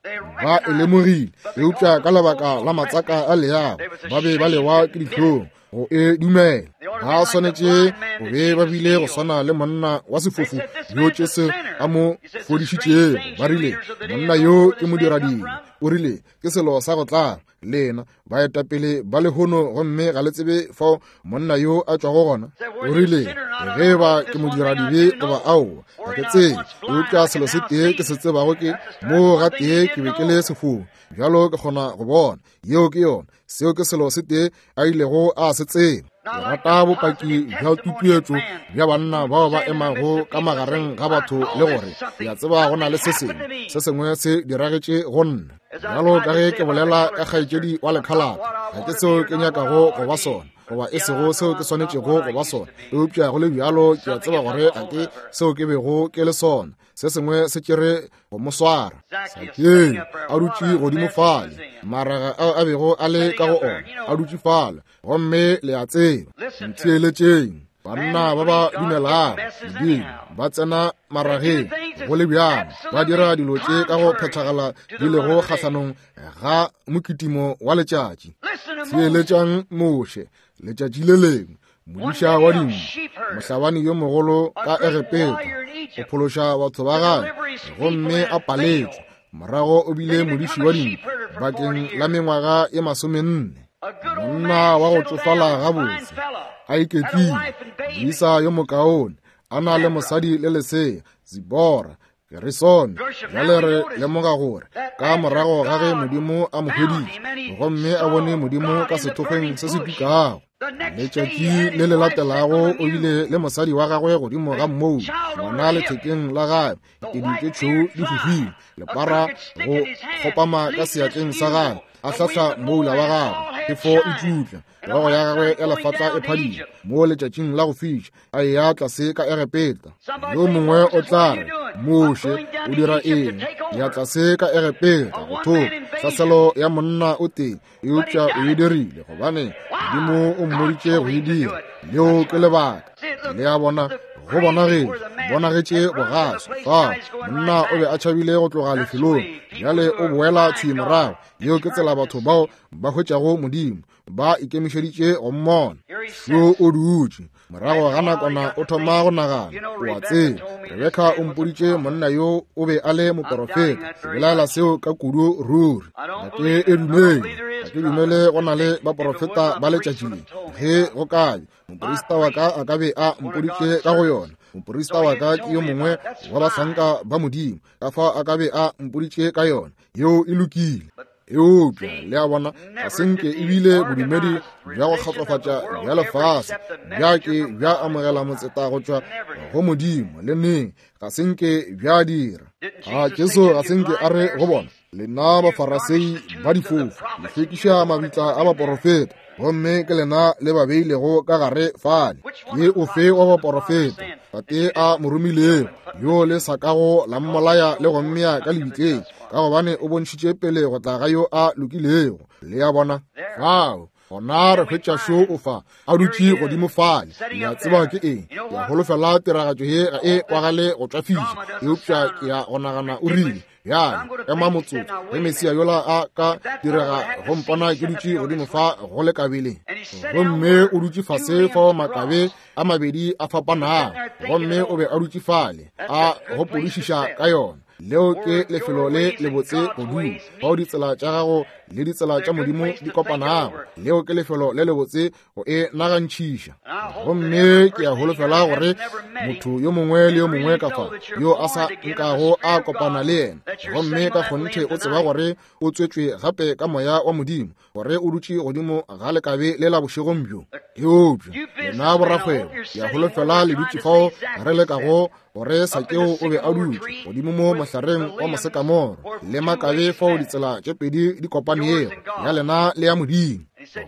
Ba e lemogile, eupša ka lebaka la matsaka a leago ba be ba lewa ke dihlong go e dumela. Ba swanetše go be ba bile go swana le monna wa sefofu yo Jesu a mo fodišitšego. Ba rile, monna yo ke modiradibe, O rile, ke selo sa go tlaba lena baetapele ba lehono, gomme ga le tsebe fao monna yo a tšwago gona. O rile, ge ba ke modiradibe goba aowa, ga ke tsebe, eupša selo se tee ke se tsebago ke moo ga tee ke be ke le sefofu, bjalo ke kgona go bona. Yeo ke yona, seo ke selo se tee a ilego a se tseba. Ke rata bopaki bja tutuetšo bja banna bao ba emago ka magareng ga batho le gore ke a tseba go na le se sengwe, se sengwe se diragetše go nna. Bjalo ka ge ke bolela ka kgaetšedi wa lekhalata, ga ke seo ke nyakago go ba sona, goba e sego seo ke swanetšego go ba sona, eupša go le bjalo ke a tseba gore ga ke seo ke bego ke le sona. Se sengwe se tšere go mo swara. Sakeo a dutše godimo fale, maraga ao a bego a le ka go ona a dutše fale, gomme le a tseba. Ntheeletšeng, banna ba ba dumelago Modimo ba tsena marageng go le bjalo, ba dira dilo tše ka go phethagala di lego kgahlanong ga mokitimo wa letšatši. Theeletšang Moshe letšatši le lengwe, modiša wa dinku, mohlabani yo mogolo ka Egepeta, go phološa batho ba gagwe, gomme a paletšwe. Morago o bile modiši wa dinku bakeng la mengwaga ye masomenne. Monna wa go tšofala gabotse, a iketlile, moisa yo mokaone, a na le mosadi le lesea, Zibora, Gerisone. Bjale re lemoga gore ka morago ga ge Modimo a mo hweditše, gomme a bone Modimo ka sethokgweng se se tukago, letšatši le le latelago o bile le mosadi wa gagwe godimo ga mmou, ngwana lethekeng la gagwe, ditedu tše tšhweu di fofile, lepara go kgopama ka seatleng sa gagwe, a hlahla moula wa gagwe, phefo e tšutla, hlogo ya gagwe ya lefatla e phadima mo letšatšing la go fiša, a eya tlase ka Egepeta. Yo mongwe o tla re, Moshe o dira eng? Ya tlase ka Egepeta go thopa tlhaselo ya monna o tee, eupša o e dirile gobane Modimo o mmoditše go e dira. Leo ke lebaka. Le a bona, go bonagetše, bonagetše bogaswi fao. Monna o be a tšhabile go tloga lefelong, bjale o boela thwi morago. Yeo ke tsela batho bao ba hwetšago Modimo, ba ikemišeditše go mmona. Šo o dutše, morago ga nakwana o thoma go nagana, o a tseba, Rebeka o mpoditše monna yo o be a le moporofeta. Ke belaela seo ka kudu ruri. Ga ke e dumele, ga ke dumele go na le baporofeta ba letšatši le. Ge go ka be, moporista wa ka a ka be a mpoditše ka go yona. Moporista wa ka ke yo mongwe wa bahlanka ba Modimo, ka fao a ka be a mpoditše ka yona. Yeo e lokile. Eupša le a bona, ga se nke ebile bodumedi bja go kgatlofatša bja lefase bja ke bja amogela motseta go tšwa go Modimo le neng, ga se nke bja dira. A Jesu ga se nke a re go bona, lena bafarasei ba difofu, le hlwekiša mabitla a baporofeta, gomme ke lena le ba beilego ka gare fale. Ke ofe wa baporofeta Tate a mo romilego, yo le sa kago la mmolaya le go mmea ka lebitleng, ka gobane o bontšhitše pele go tla ga yo a lokilego. Le a bona fao, gona re hwetša šo o fa a dutše godimo fale. Le a tseba ke eng? Ke a holofela tiragatšo ye ga e kwagale go tšwafiša, eupša ke a go nagana o rile, bjale ema motsotso, ge Mesia yola a ka direga go mpona ke dutše godimo fa go le kabeleng. Gomme o dutše fase fao makabe a mabedi a fapanago, gomme o be a dutše fale a gopodišiša ka yona. Leo ke lefelo le lebotse go dula, fao ditsela tša gago le ditsela tša Modimo di kopanago. Leo ke lefelo le lebotse go e nagantšhiša. Gomme ke a holofela gore motho yo mongwe le yo mongwe ka fa yo a sa nkago a kopana le yena, gomme ka kgonthe o tseba gore o tswetšwe gape ka moya wa Modimo, gore o dutše godimo ga lekabe le la bošegong bjo. Eupša lena borakgwebo, ke a holofela le dutše fao re lekago gore Sakeo o be a dutše godimo mo mohlareng wa mosekamoro le makabe fao ditsela tše pedi di kopanego, ya lena le ya Modimo.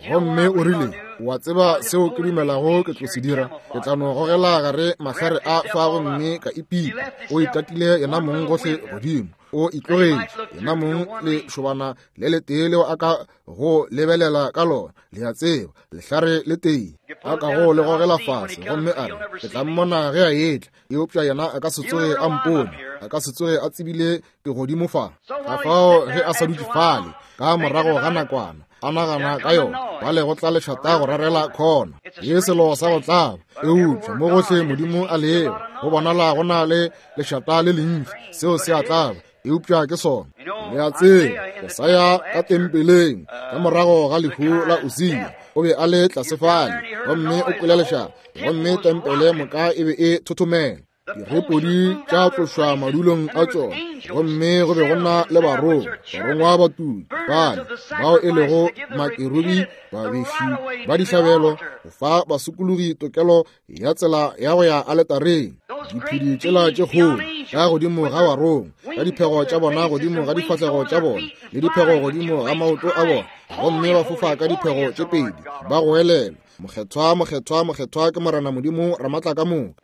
Gomme o rile, o a tseba seo ke dumelago ke tlo se dira? Ke tla no gogela gare mahlare a fa gomme ka ipipa. O itatile yena mong gohle godimo, o itlogetše yena mong lešobana le letee leo a ka go lebelela ka lona, le a tseba, lehlare le tee, a ka go le gogela fase, gomme a re, ke tla mmona ge a etla, eupša yena a ka se tsoge a mpone, a ka se tsoge a tsebile ke godimo fa. Ka fao ge a sa dutše fale, ka morago ga nakwana a nagana ka yona, ba le go tla lešata go rarela khona, ye selo sa go tlaba. Eupša mo gohle Modimo a lego, go bonala go na le lešata le lentši, seo se a tlaba. eupša ke sona. Le a tseba, Jesaya ka tempeleng ka morago ga lehu la Usia o be a le tlase fale, gomme o kwele lešata, gomme tempele moka e be e thothomela. Direpodi tša tlošwa madulong a tšona, gomme go be go na le barongwa, barongwa ba tuki bale bao e lego makerubi, babeši ba dihlabelo, go fa basokologi tokelo ya tsela ya go ya aletareng. Diphedi tšela tše kgolo ka godimo ga barongwa, ka diphego tša bona godimo ga difahlego tša bona, le diphego godimo ga maoto a bona, gomme ba fofa ka diphego tše pedi, ba goelela, Mokgethwa, mokgethwa, mokgethwa ke Morena Modimo Ramatlakamoka.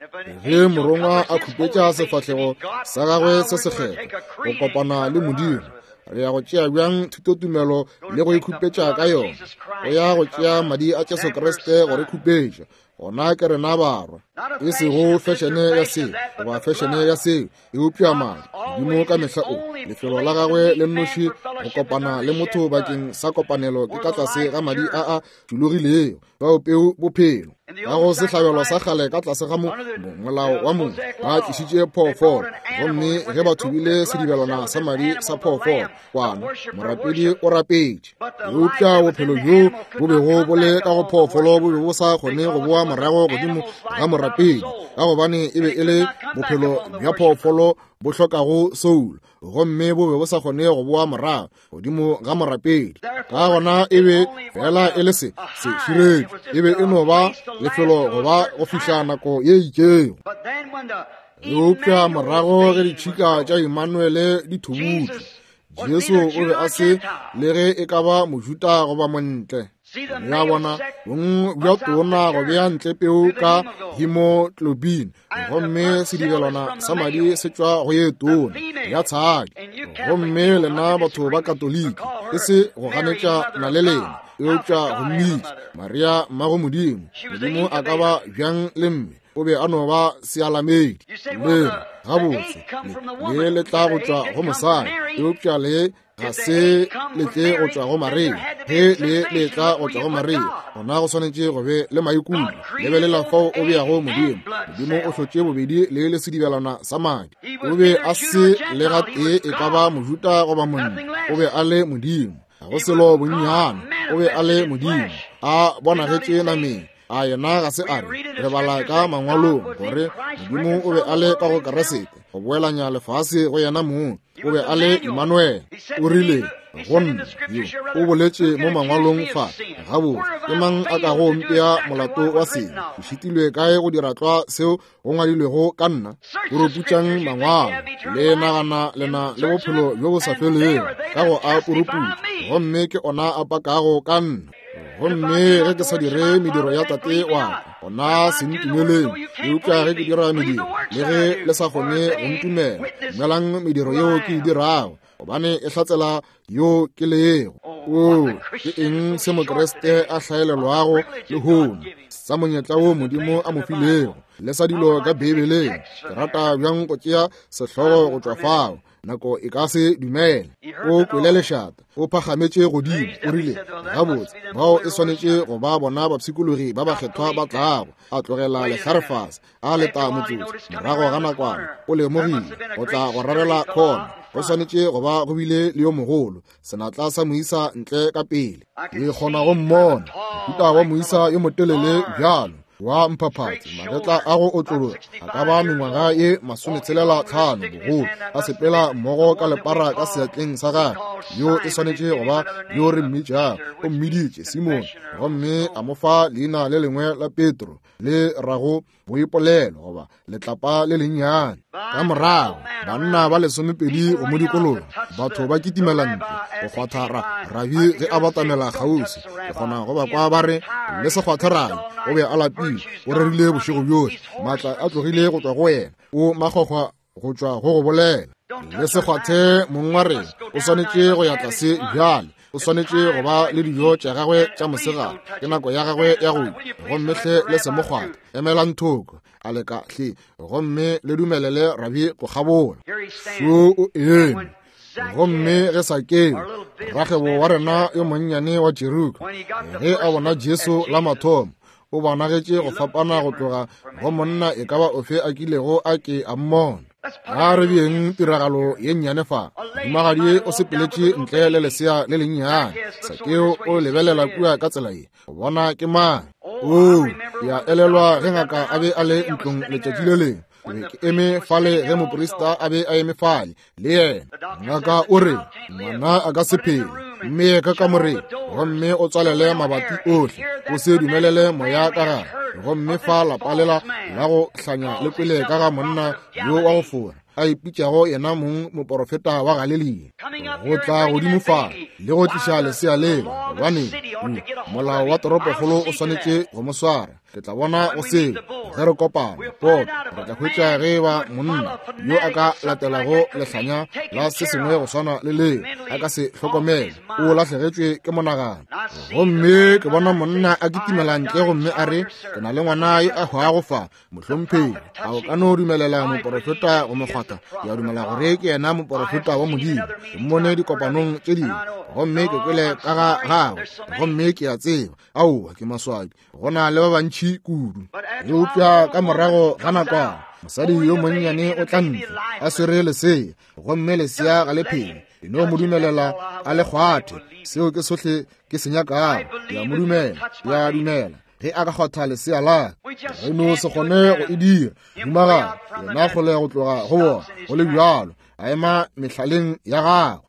Ge morongwa a khupetša sefahlego sa gagwe se sekgethwa go kopana le Modimo, re ya go tšea bjang thutotumelo le go ikhupetša ka yona? Go ya go tšea madi a Jesu Kriste go re khupetša. Gona ke rena barwa, e sego fešene ya seo goba fešene ya seo, eupša madi. Modimo ka mehla o lefelo la gagwe le nnoši go kopana le motho bakeng sa kopanelo ke ka tlase ga madi a a tšhologilego, bao peu bophelo. Ka go sehlabelo sa kgale ka tlase ga mo molao wa Moshe ba tlišitše phoofolo, gomme ge ba thubile sedibelwana sa madi sa phoofolo kwana, morapedi o rapetše. Eupša bophelo bjo bo bego bo le ka go phoofolo bo be bo sa kgone go boa morago godimo ga morapedi, ka gobane e be e le bophelo bja phoofolo bo hlokago soulo, gomme bo be bo sa kgone go boa morago godimo ga morapedi. Ka gona e be fela e le se se širetšo, e be e no ba lefelo go ba go fihla nako ye itšego. Eupša morago ge ditšhika tša Emmanuele di thubutšwe, Jesu o be a se le ge e ka ba Mojuta goba montle. Le a bona, bong bja tona go bea ntle peu ka hemoglobin, gomme sedibelwana sa madi se tšwa go ye tona ya tshadi. Gomme lena batho ba Katoliki, e se go ganetša na le lena, eupša go mmitša Maria mmago Modimo. Modimo a ka ba bjang le mme? O be a no ba sealamedi. Le gabotse le le tla go tšwa go mosadi, eupša le ga se le tle go tšwa go Maria. Ge le le tla go tšwa go Maria, gona go swanetše go be le maikutlo. Lebelela fao o beago Modimo. Modimo o hlotše bobedi le le sedibelwana sa madi. O be a se le gatee e ka ba Mojuta goba monna, o be a le Modimo. Ga go selo bonnyane, o be a le Modimo a bonagetše nameng. A yena ga se a re, re bala ka mangwalong gore Modimo o be a le ka go Kriste go boelanya lefase go yena mong. O be a le Emmanuel. O rile go nna, yo o boletše mo mangwalong fa, gabotse ke mang a kago mpea molato wa sebe? Ke šitilwe kae go dira tlwa seo go ngwadilwego ka nna? Puruputšang mangwalo, le nagana lena le bophelo bjo bo sa felego ka go a puruputša, gomme ke ona a pakago ka nna. Gomme ge ke sa dire mediro ya Tate wa ka, gona se ntumeleng. Eupša ge ke dira mediro, le ge le sa kgone go ntumela, dumelang mediro yeo ke e dirago, gobane e hlatsela yo ke lego. O ke eng se Mokriste a hlaelelwago lehono sa monyetla wo Modimo a mo filego, le sa dilo ka Beibeleng? Ke rata bjang go tšea sehlogo go tšwa fao. Nako e ka se dumele. O kwele lešata, o phagametše godimo, o rile, gabotse, bao e swanetše go ba bona bapshikologi ba bakgethwa ba tlago. A tlogela lehlare fase, a leta motsotso. Morago ga nakwana o lemogile go tla go rarela khona. Go swanetše go ba go bile le yo mogolo, senatla sa moisa ntle ka pele. Ke kgona go mmona, mohuta wa moisa yo motelele bjalo wa mphaphatsi, magetla a go otlologa a ka ba mengwaga ye masometshelela tlhano bogolo, a sepela mmogo ka lepara ka seatleng sa gagwe. Yo e swanetše go ba yo re mmitšago. O mmiditše Simone, gomme a mo fa leina le lengwe la Petro, le rago boipolelo goba letlapa le lennyane. Ka morago banna ba lesomepedi go mo dikologa, batho ba kitimela ntle go kgwatha rabi ge a batamela kgauswi. Ke kgona go ba kwa ba re, le se kgwathe rabi, o be a lapile, o rerile bošego bjohle, maatla a tlogile go tšwa go yena, o makgwakgwa go tšwa go go bolela. Le se kgwathe mong wa rena, o swanetše go ya tlase bjale, o swanetše go ba le dijo tša gagwe tša mosegare, ke nako ya gagwe ya go ja, gomme hle le se mo kgwathe. Emelang thoko, a leka hle, gomme le dumelele rabi go kgabola. Šo o eme. Gomme ge Sakeo, rakgwebo wa rena yo monnyane wa Jeriko, ge a bona Jesu la mathomo, o bonagetše go fapana go tloga go monna e ka ba ofe a kilego a ke a mmona. A re beeng tiragalo ye nnyane fa. Mohumagadi o sepeletše ntle le lesea le lennyane. Sakeo o lebelela kua ka tsela ye, go bona ke mang. Oo, ke a elelwa ge ngaka a be a le ntlong letšatši le lengwe. Ke be ke eme fale ge moprista a be a eme fale le yena. Ngaka o re, ngwana a ka se phele, mme ka kamoreng, gomme o tswalele mabati ohle, o se dumelele moya ka gare. Gomme fa lapa lela la go hlanya le kwele ka ga monna yo wa go fora, a ipitšago yena mong moporofeta wa Galelia, go tla godimo fa le go tliša lesea lela, gobane molao wa toropokgolo o swanetše go mo swara. Ke tla bona go seo ge re kopana poto, re tla hwetša ge ba monna yo a ka latelago lehlanya la se sengwe go swana le leo a ka se hlokomele, o lahlegetšwe ke monagano. Gomme ke bona monna a kitimela ntle gomme a re, ke na le ngwana yo a hwago fa, mohlomphegi, a o ka no dumelela moporofeta go mo kgwatha? Ke a dumela gore ke yena moporofeta wa Modimo. Ke mmone dikopanong tše dingwe, gomme ke kwele ka ga gagwe, gomme ke a tseba. Aowa, ke maswabi, go na le ba bantši kudu. Eupša ka morago ga nakwana, mosadi yo monnyane o tla ntle a swere lesea, gomme lesea ga le phele. E no mo dumelela a le kgwathe, seo ke sohle ke se nyakago. Ke a mo dumela, ke a dumela ge a ka kgwatha lesea la ka. Re no se kgone go e dira. Mohumagadi yena kgole go tloga go bona, go le bjalo a ema mehlaleng ya gagwe.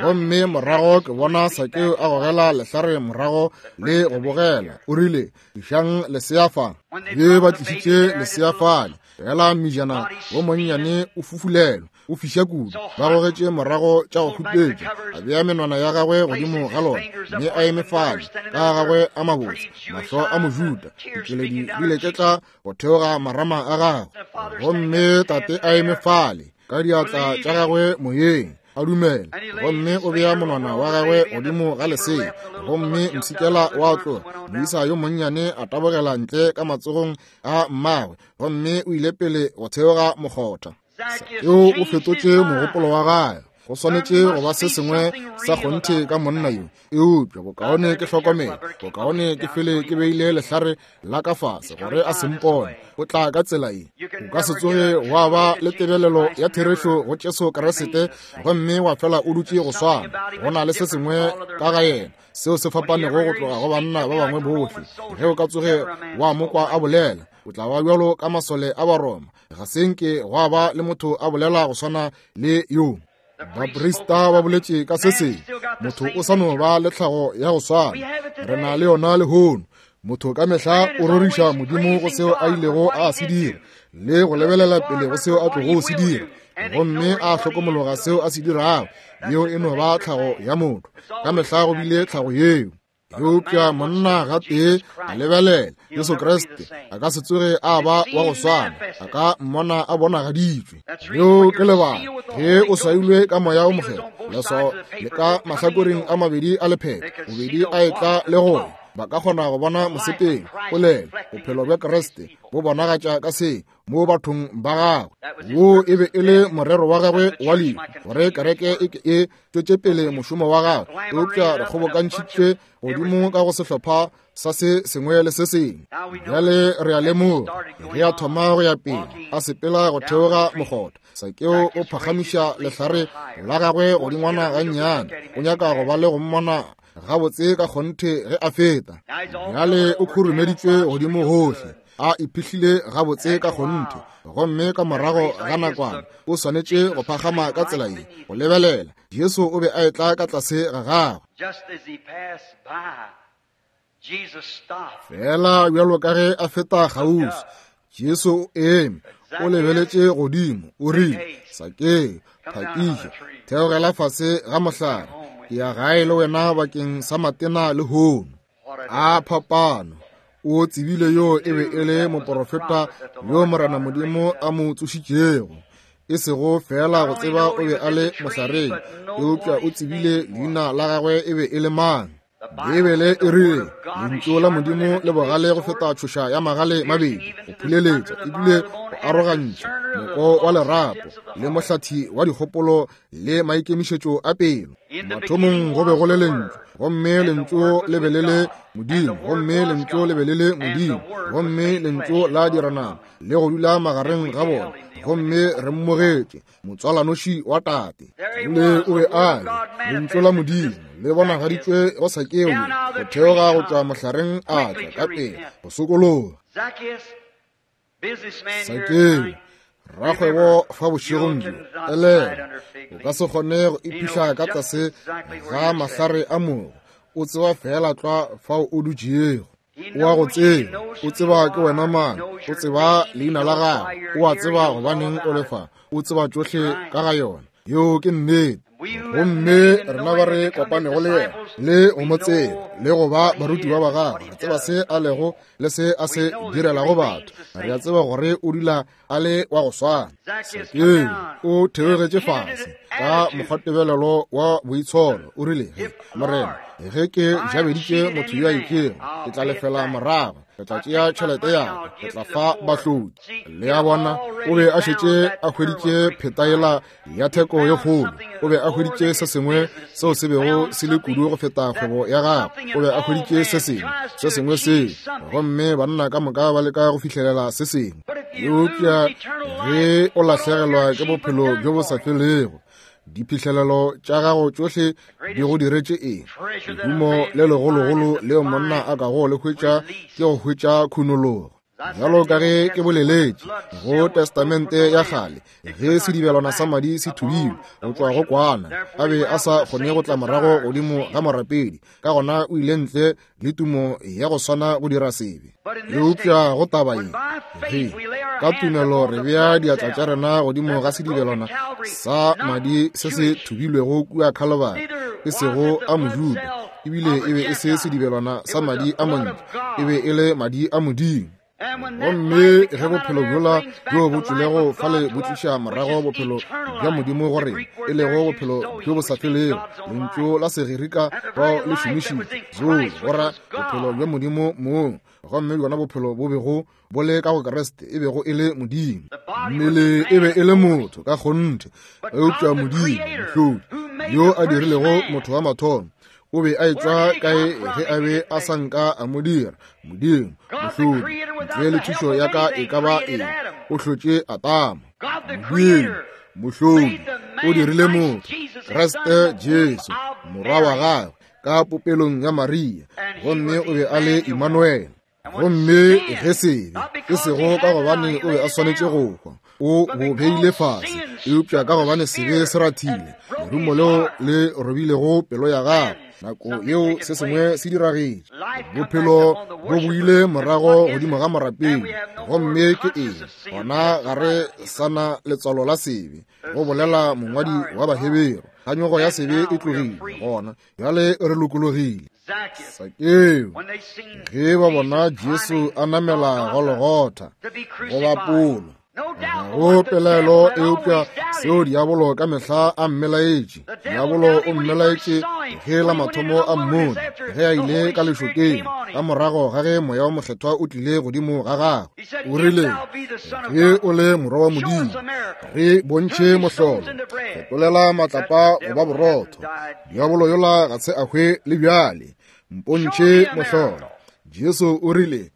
Gomme morago ke bona Sakeo a gogela lehlare morago le go bogela. O rile, tlišang lesea fa. Ge ba tlišitše lesea fale, fela mmijana wo monnyane o fufulelwa, o fiša kudu. Ba gogetše morago tša go khupetša, a bea menwana ya gagwe godimo ga lona, mme a eme fale ka gagwe a mabotse, mahlo a Mojuda, dikeledi di leketla go theoga marama a gagwe. Gomme tate a eme fale ka diatla tša gagwe moyeng, a dumela, gomme o bea monwana wa gagwe godimo ga lesea, gomme mpshikela wa tloga. Moisa yo monnyane a tabogela ntle ka matsogong a mmagwe, gomme o ile pele go theoga mokgotha. Sakeo o fetotše mogopolo wa gagwe. Go swanetše go ba se sengwe sa kgonthe ka monna yo, eupša bokaone ke hlokomele, bokaone ke fele ke beile lehlare la ka fase gore a se mpone. O tla ka tsela ye. O ka se tsoge wa ba le tebelelo ya therešo go Jesu Kriste gomme wa fela o dutše go swana. Go na le se sengwe ka ga yena seo se fapanego go tloga go banna ba bangwe bohle. Ge o ka tsoge wa mo kwa a bolela, o tla ba bjalo ka masole a Baroma. Ga se nke gwa ba le motho a bolela go swana le yo. Baprista ba boletše ka se sengwe. Motho o sa no ba le tlhago ya go swana. Re na le yona lehono. Motho ka mehla o roriša Modimo go seo a ilego a se dira, le go lebelela pele go seo a tlogo se dira, gomme a hlokomologa seo a se dirago. Yeo e no ba tlhago ya motho. Ka mehla go bile tlhago yeo. Eupša monna gatee a lebelela Jesu Kriste, a ka se tsoge a ba wa go swana, a ka mmona a bonagaditšwe. Leo ke lebaka ge o swailwe ka moya o mokgethwa, leswao le ka mahlakoreng a mabedi a lepheko, bobedi a etla le go ya, ba ka kgona go bona mosepelo, polelo, bophelo bja Kriste bo bonagatša ka se mo bathong ba gagwe. Wo e be e le morero wa gagwe wa lehu, gore kereke e ke e tšwetše pele mošomo wa gagwe. Eupša re kgobokantšhitšwe godimo ka go sehlopha sa se sengwe le se sengwe. Bjale re a lemoga ge a thoma go ya pele, a sepela go theoga mokgotha, Sakeo o phagamiša lehlare la gagwe godingwana gannyane. O nyaka go ba le go mmona gabotse ka kgonthe ge a feta. Bjale o khurumeditšwe godimo gohle, a iphihlile gabotse ka kgonthe, gomme ka morago ga nakwana o swanetše go phagama ka tsela ye go lebelela. Jesu o be a etla ka tlase ga gagwe. Fela bjalo ka ge a feta kgauswi, Jesu o eme, o lebeletše godimo, o rile, Sakeo, phakiša, theogela fase ga mohlare, ke ya gae le wena bakeng sa matena lehono. A phapano! O tsebile yo e be e le moporofeta yo Morena Modimo a mo tsošitšego. E sego fela go tseba o be a le mohlareng, eupša o tsebile leina la gagwe e be e le mang. Beibele e rile, lentšu la Modimo le bogale go feta tšhoša ya magale mabedi, go phuleletša ebile go arogantšha moko wa lerapo le mohlathi wa dikgopolo le maikemišetšo a pelo. Mathomong go be go le lentšu, gomme lentšu le be le le Modimo, gomme lentšu le be le le Modimo, gomme lentšu la dira nama le go dula magareng ga bona, Gomme re mmogetše, motswalanoši wa Tate. Le o be a le Lentšu la Modimo le bonagaditšwe go Sakeo, go theoga go tšwa mohlareng a tla ka pele go sokologa. Sakeo, rakgwebo fa bošegong bjo, elelwa, o ka se kgone go iphihla ka tlase ga mahlare a mogo. O tseba fela tlwa fao o dutšego. O a go tseba, o tseba ke wena mang, o tseba leina la gago, o a tseba gobaneng o le fa, o tseba tšohle ka ga yona. Yeo ke nnete. Gomme rena ba re kopanego le yena le go mo tseba le go ba barutiwa ba gagwe, re tseba se a lego le se a se direlago batho. Re a tseba gore o dula a le wa go swana. Sakeo o theogetše fase ka mokgwatebelelo wa boitsholo. O rile, Morena, ge ke jabeditše motho yo a itšego, ke tla lefela morago, ke tla tšea tšhelete ya ka, ke tla fa bahloki. Le a bona, o be a šetše a hweditše phetaela ya theko ye kgolo. O be a hweditše se sengwe seo se bego se le kudu go feta kgwebo ya gagwe. O be a hweditše se sengwe, se sengwe seo, gomme banna ka moka ba leka go fihlelela se sengwe. Eupša ge o lahlegelwa ke bophelo bjo bo sa felego, diphihlelelo tša gago tšohle di go diretše eng? Lehumo le legologolo leo monna a kago le hwetša ke go hwetša khunologo. Bjalo ka ge ke boleletše go Testamente ya kgale, ge sedibelwana sa madi se thubilwe go tšwa go kwana, a be a sa kgone go tla morago godimo ga morapedi, ka gona o ile ntle le tumo ya go swana go dira sebe. Eupša go taba ye, ge ka tumelo re bea diatla tša rena godimo ga sedibelwana sa madi se se thubilwego kua Calvary, e sego a Mojuda, ebile e be e se sedibelwana sa madi a montle, e be e le madi a Modimo. Gomme ge bophelo bjola bjo bo tšwilego fale bo tliša morago bophelo bja Modimo go rena, e lego bophelo bjo bo sa felego, lentšu la Segerika bao le šomišitše zoe go ra bophelo bja Modimo mong, gomme bjona bophelo bo bego bo le ka go Kriste e bego e le Modimo. Mmele e be e le motho ka kgonthe, eupša Modimo mohlodi yo a dirilego motho wa mathomo o be a etšwa kae ge a be a sa nka a mo dira? Modimo mohlodi, ntle le thušo ya ka e ka ba eng, o hlotše Adama. Modimo mohlodi o dirile motho, Kriste Jesu morwa wa gagwe, ka popelong ya Maria, gomme o be a le Emmanuel. Gomme ge sebe, e sego ka gobane o be a swanetše go hwa, o bo beile fase, eupša ka gobane sebe se rathile lerumo leo le robilego pelo ya gagwe, nako yeo se sengwe se diragetše. Bophelo bo boile morago godimo ga morapedi. Gomme ke eng gona? Ga re sa na letswalo la sebe, go bolela mongwadi wa Baheberu. Kganyogo ya sebe e tlogile, gona bjale re lokologile. Sakeo, ge ba bona Jesu a namela Golgotha go bapolo, ga go pelaelo eupša seo diabolo ka mehla a mmelaetše. Diabolo o mmelaetše ge la mathomo a mmone, ge a ile ka lešokeng, ka morago ga ge moya wa mokgethwa o tlile godimo ga gagwe. O rile, ge o le morwa wa Modimo, re bontšhe mohlolo, fetolela matlapa go ba borotho. Diabolo yola ga se a hwe le bjale, mpontšhe mohlolo. Jesu o rile,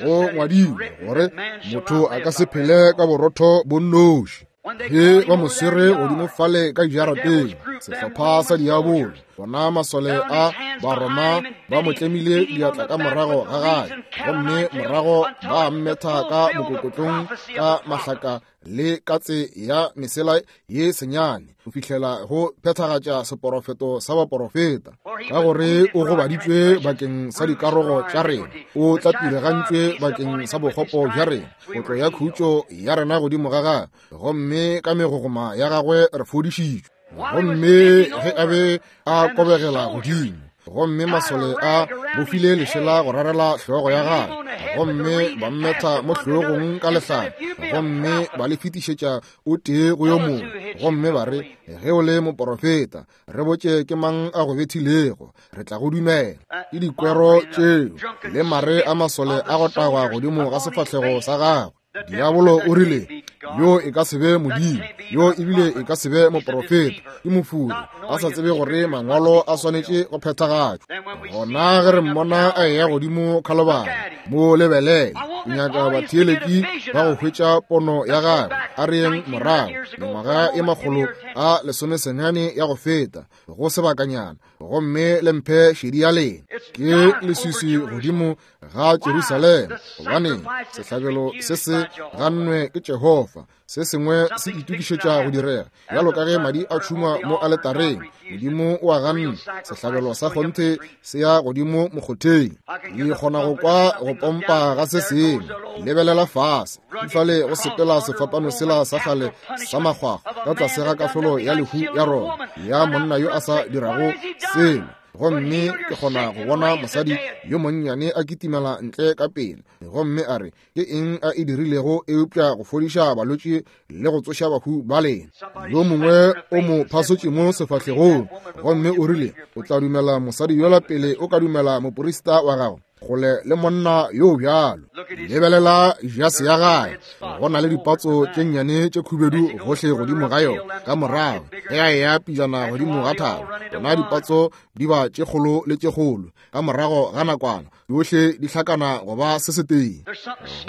go ngwadilwe gore motho a ka se phele ka borotho bo nnoši. Ge ba mo swere godimo fale ka dijarateng, sehlopha sa diabolo, bona masole a Baroma ba mo tlemile diatla ka morago ga gagwe, gomme morago ba mmetha ka mokokotlong ka mahlaka le katse ya mesela ye senyane, go fihlela go phethagatša seporofeto sa baporofeta, ka gore o gobaditšwe bakeng sa dikarogo tša rena, o tlapilegantšwe bakeng sa bokgopo bja rena, kotlo ya khutšo ya rena godimo ga gagwe, gomme ka megogoma ya gagwe re fodišitšwe. Gomme ge a be a kobegela godimo, gomme masole a bofile lešela go rarela hlogo ya gagwe, gomme ba mmetha mo hlogong ka lehlare, gomme ba le fetišetša o tee go yo mongwe, gomme ba re, ge o le moporofeta, re botše ke mang a go bethilego, re tla go dumela. Ke dikwero tšeo le mare a masole a go tagwa godimo ga sefahlego sa gagwe. Diabolo o rile, yo e ka se be Modimo, yo ebile e ka se be moprofeta, ke mofuri, a sa tsebe gore mangwalo a swanetše go phethagatšwa. Gona ge re mmona a eya godimo Khalibari, mo lebelele, ke nyaka batheeletši ba go hwetša pono ya gagwe. A re yeng morago mengwaga e makgolo a lesomesenyane ya go feta go sebakanyana, gomme le mphe šedi ya lena. Ke leswiswi godimo ga Jerusalema, gobane sehlabelo se se gannwe ke Jehofa. Se sengwe se itokišetša go direga, bjalo ka ge madi a tšhungwa mo aletareng. Modimo o a ganne, sehlabelo sa kgonthe se ya godimo mokgotheng. Ke kgona go kwa go pompa ga se sengwe. Lebelela fase, fale go sepela sefapano sela sa kgale sa makgwakgwa ka tlase ga kahlolo ya lehu ya Roma ya monna yo a sa dirago selo. Gomme ke kgona go bona mosadi yo monnyane a kitimela ntle ka pele, gomme a re, ke eng a e dirilego eupša go fodiša balwetši le go tsoša bahu ba lena? Yo mongwe o mo phasotše mo sefahlegong, gomme o rile, o tla dumela mosadi yola pele o ka dumela moporista wa gago, kgole le monna yo bjalo. Lebelela jase ya gae, go na le dipatso tše nnyane tše khubedu gohle godimo ga yona. Ka morago ge a eya pijana godimo ga thaba, bona dipatso di ba tše kgolo le tše kgolo. Ka morago ga nakwana yohle di hlakana go ba se setee.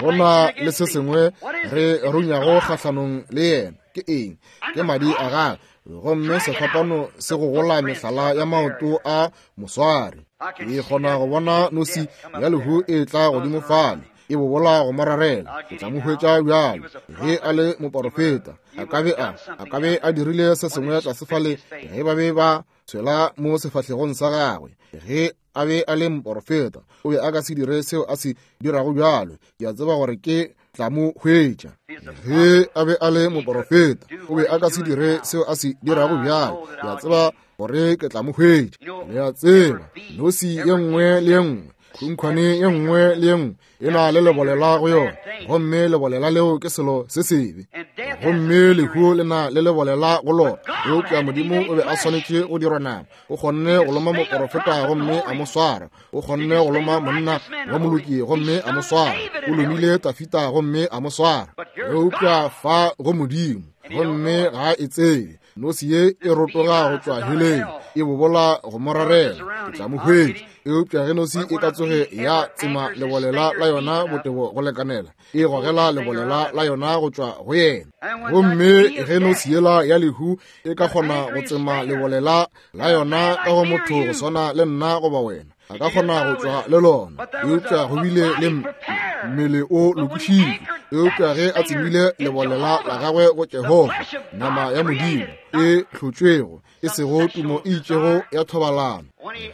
Go na le se sengwe re runyago kgahlanong le yena. Ke eng? Ke madi a gagwe. Gomme sefapano se gogola mehlala ya maoto a moswari. Ke kgona go bona nosi ya lehu e tla godimo fale, e bobola go morarela. Ke tla mo hwetša bjalo. Ge a le moporofeta, a ka be a a ka be a dirile se sengwe tlase fale ge ba be ba tshwela mo sefahlegong sa gagwe. Ge a be a le moporofeta, o be a ka se dire seo a se dirago bjalo. Ke a tseba gore ke tla mo hwetša. Ge a be a le moporofeta, o be a ka se dire seo a se dirago bjalo. Ke a tseba gore ke tla mo hwetša. Le a tseba, nosi ye nngwe le ye nngwe, khunkhwane ye nngwe le ye nngwe e na le lebolela go yona, gomme lebolela leo ke selo se sebe, gomme lehu le na le lebolela go lona. Eupša Modimo o be a swanetše go dirwa nama. O kgonne go loma moporofeta gomme a mo swara. O kgonne go loma monna wa moloki gomme a mo swara. O lomile Tafita gomme a mo swara. Eupša fa go Modimo, gomme ga e tsebe. Nosi ye e rotoga go tšwa heleng, e bobola go morarela. Ke tla mo hwetša. Eupša ge nosi e ka tsoge ya tsema lebolela la yona botebo go lekanela, e gogela lebolela la yona go tšwa go yena. Gomme ge nosi yela ya lehu e ka kgona go tsema lebolela la yona ka go motho go swana le nna goba wena, a ka kgona go tšwa le lona. Eupša go bile le mmele o lokišitšwe. Eupša ge a tsemile lebolela la gagwe go Jehofa, nama ya Modimo e hlotšwego, e sego tumo e itšego ya thobalano,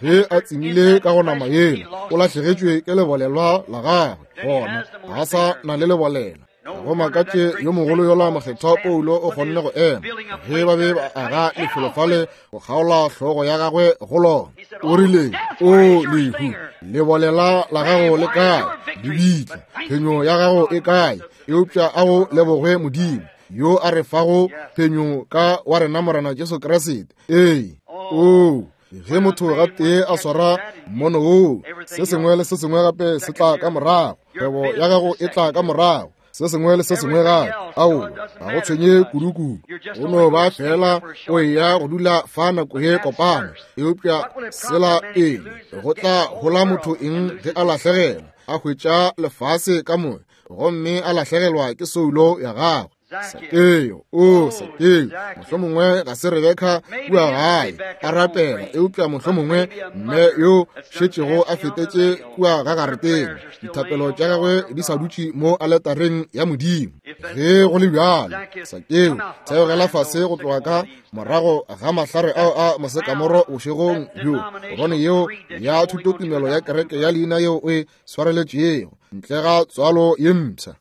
ge a tsemile ka go nama yela, o lahlegetšwe ke lebolelwa la gagwe. Gona ga sa na le lebolela. Go makatše yo mogolo yola mokgethwa Paulo o kgonne go ema ge ba be ba aga lefelo fale go kgaola hlogo ya gagwe go lona. O rile, o lehu, lebolela la gago le kae? Lebitla, phenyo ya gago e kae? Eupša a go lebogwe Modimo yo a re fago phenyo ka wa rena Morena Jesu Kriste. Ee, o ge motho gatee a swara mmono woo, se sengwe le se sengwe gape se tla ka morago. Kgwebo ya gago e tla ka morago, se sengwe le se sengwe gape. Ao, ga go tshwenye kudukudu, o no ba fela o eya go dula fa nako ye kopana. Eupša sela pele, go tla hola motho eng ge a lahlegelwa, a hwetša lefase ka moka, gomme a lahlegelwa ke soulo ya gagwe? Sakeo, o Sakeo, mohlomongwe ga se Rebeka kua gae a rapela, eupša mohlomongwe mme yo šetšego a fetetše kua ga gareteng, dithapelo tša gagwe di sa dutše mo aletareng ya Modimo. Ge go le bjalo, Sakeo, theogela fase go tloga ka morago ga mahlare ao a mosekamoro bošegong bjo, gobane yeo ya thutotumelo ya kereke ya leina yeo o e swareletšego ntle ga tswalo ye mpsha,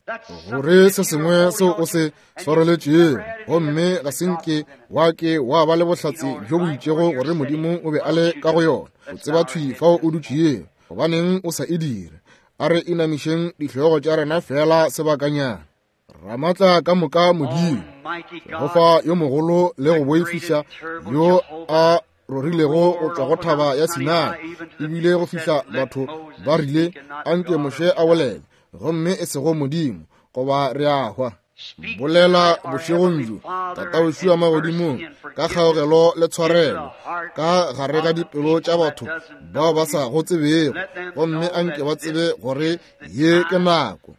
gore se sengwe seo o se swareletšego, gomme ga se nke wa ke wa ba le bohlatse bjo bo itšego gore Modimo o be a le ka go yona. O tseba thwi fao o dutšego, gobaneng o sa e dire? A re inamišeng dihlogo tša rena fela sebakanyana. Ramatla ka moka Modimo, Jehofa yo mogolo le go boifiša, yo a rorilego go tšwa go thaba ya Sinai, ebile go fihla batho ba rile, anke Moshe a bolele, gomme e sego Modimo, goba re a hwa. Bolela bošegong bjo, Tatawešu wa magodimong, ka kgaogelo le tshwarelo ka gare ga dipelo tša batho bao ba sa go tsebego, gomme anke ba tsebe gore ye ke nako,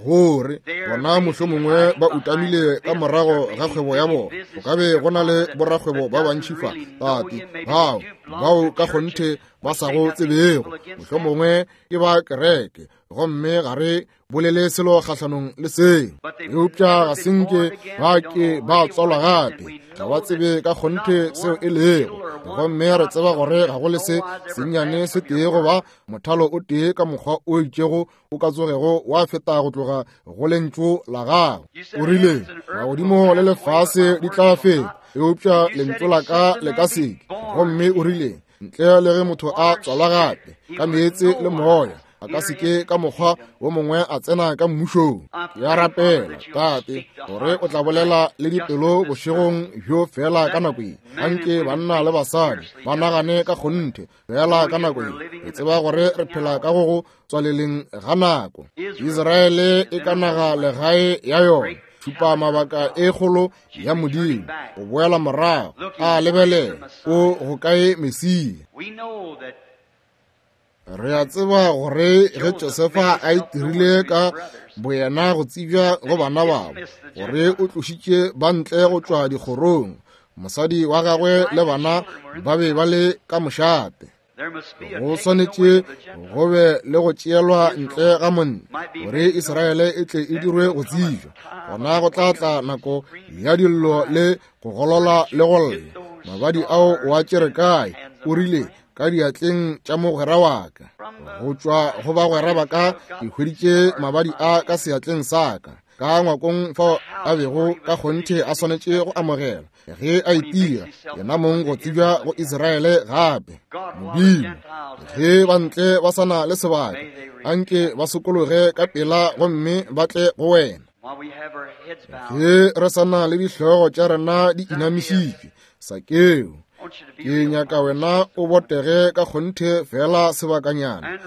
gore bona mohlomongwe ba utamile ka morago ga kgwebo ya bona. Go ka be go na le borakgwebo ba bantši fa, Tate, bao bao ka kgonthe ba sa go tsebego, mohlomongwe ke ba kereke, gomme ga re bolele selo kgahlanong le seo, eupša ga se nke ba ke ba tswalwa gape, ga ba tsebe ka kgonthe seo e lego. Gomme re tseba gore ga go le se sennyane se tee goba mothalo o tee ka mokgwa o itšego o ka tsogego wa feta go tloga go lentšu la gago. O rile magodimo le lefase di tla feta, eupša lentšu la ka le ka se ke. Gomme o rile ntle le ge motho a tswalwa gape ka meetse le moya, a ka se ke ka mokgwa wo mongwe a tsena ka mmušong. Ke a rapela, Tate, gore o tla bolela le dipelo bošegong bjo fela ka nako ye. Anke banna le basadi ba nagane ka kgonthe fela ka nako ye. Re tseba gore re phela ka go go tswaleleng ga nako. Israele e ka naga legae ya yona, šupa mabaka e kgolo ya Modimo, o boela morago, a lebelela o go kae Mesia. Re a tseba gore ge Josefa a itirile ka boyena go tsebja go bana babo, gore o tlošitše ba ntle go tšwa dikgorong, mosadi wa gagwe le bana ba be ba le ka mošate. Go swanetše go be le go tšeelwa ntle ga monna, gore Israele e tle e dirwe go tsebja. Gona go tla tla nako ya dillo le go golola le go lla. Mabadi ao o a tšere kae? O rile ka diatleng tša mogwera wa ka. Go tšwa go bagwera ba ka ke hweditše mabadi a ka seatleng sa ka, ka ngwakong fao a bego ka kgonthe a swanetše go amogela ge a itira yena mong go tsebja go Israele gape. Modimo, ge bantle ba sa na le sebaka, anke ba sokologe ka pela gomme ba tle go wena. Ge re sa na le dihlogo tša rena di inamišitšwe, Sakeo, ke nyaka wena o botege ka kgonthe fela sebakanyana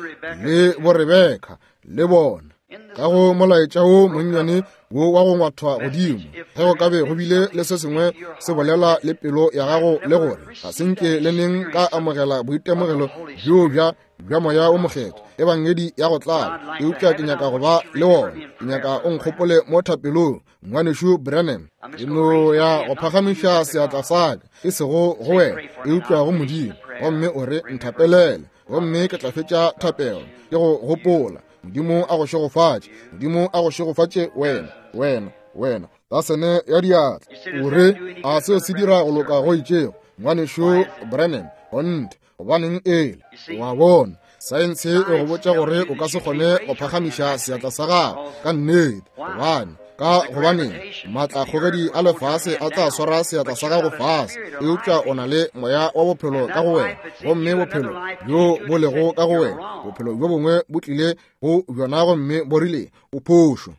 le boRebeka le bona ka go molaetša wo monnyane wo wa go ngwathwa godimo. Ge go ka be go bile le se sengwe se bolela le pelo ya gago le gore ga se nke le neng ka amogela boitemogelo bjo bja bja moya o mokgethwa, ebangedi ya go tlala, eupša ke nyaka go ba le wona, ke nyaka o nkgopole mo thapelong, ngwanešu Branham. Ke no ya go phagamiša seatla sa ka, e sego go wena, eupša go Modimo, gomme o re nthapelele, gomme ke tla fetša thapelo ke go gopola. Modimo a go šegofatše, Modimo a go šegofatše wena, wena, wena. Tasene ya diatla. O re a seo se dira go loka go itšego, ngwanešu Branham? Kgonthe, gobaneng ele? Wa bona, saense e go botša gore o ka se kgone go phagamiša seatla sa gago ka nnete, gobane ka gobaneng maatlakgogedi a lefase a tla swara seatla sa gago fase, eupša o na le moya wa bophelo ka go wena, gomme bophelo bjo bo lego ka go wena, bophelo bjo bongwe bo tlile go bjona gomme bo rile o phošo.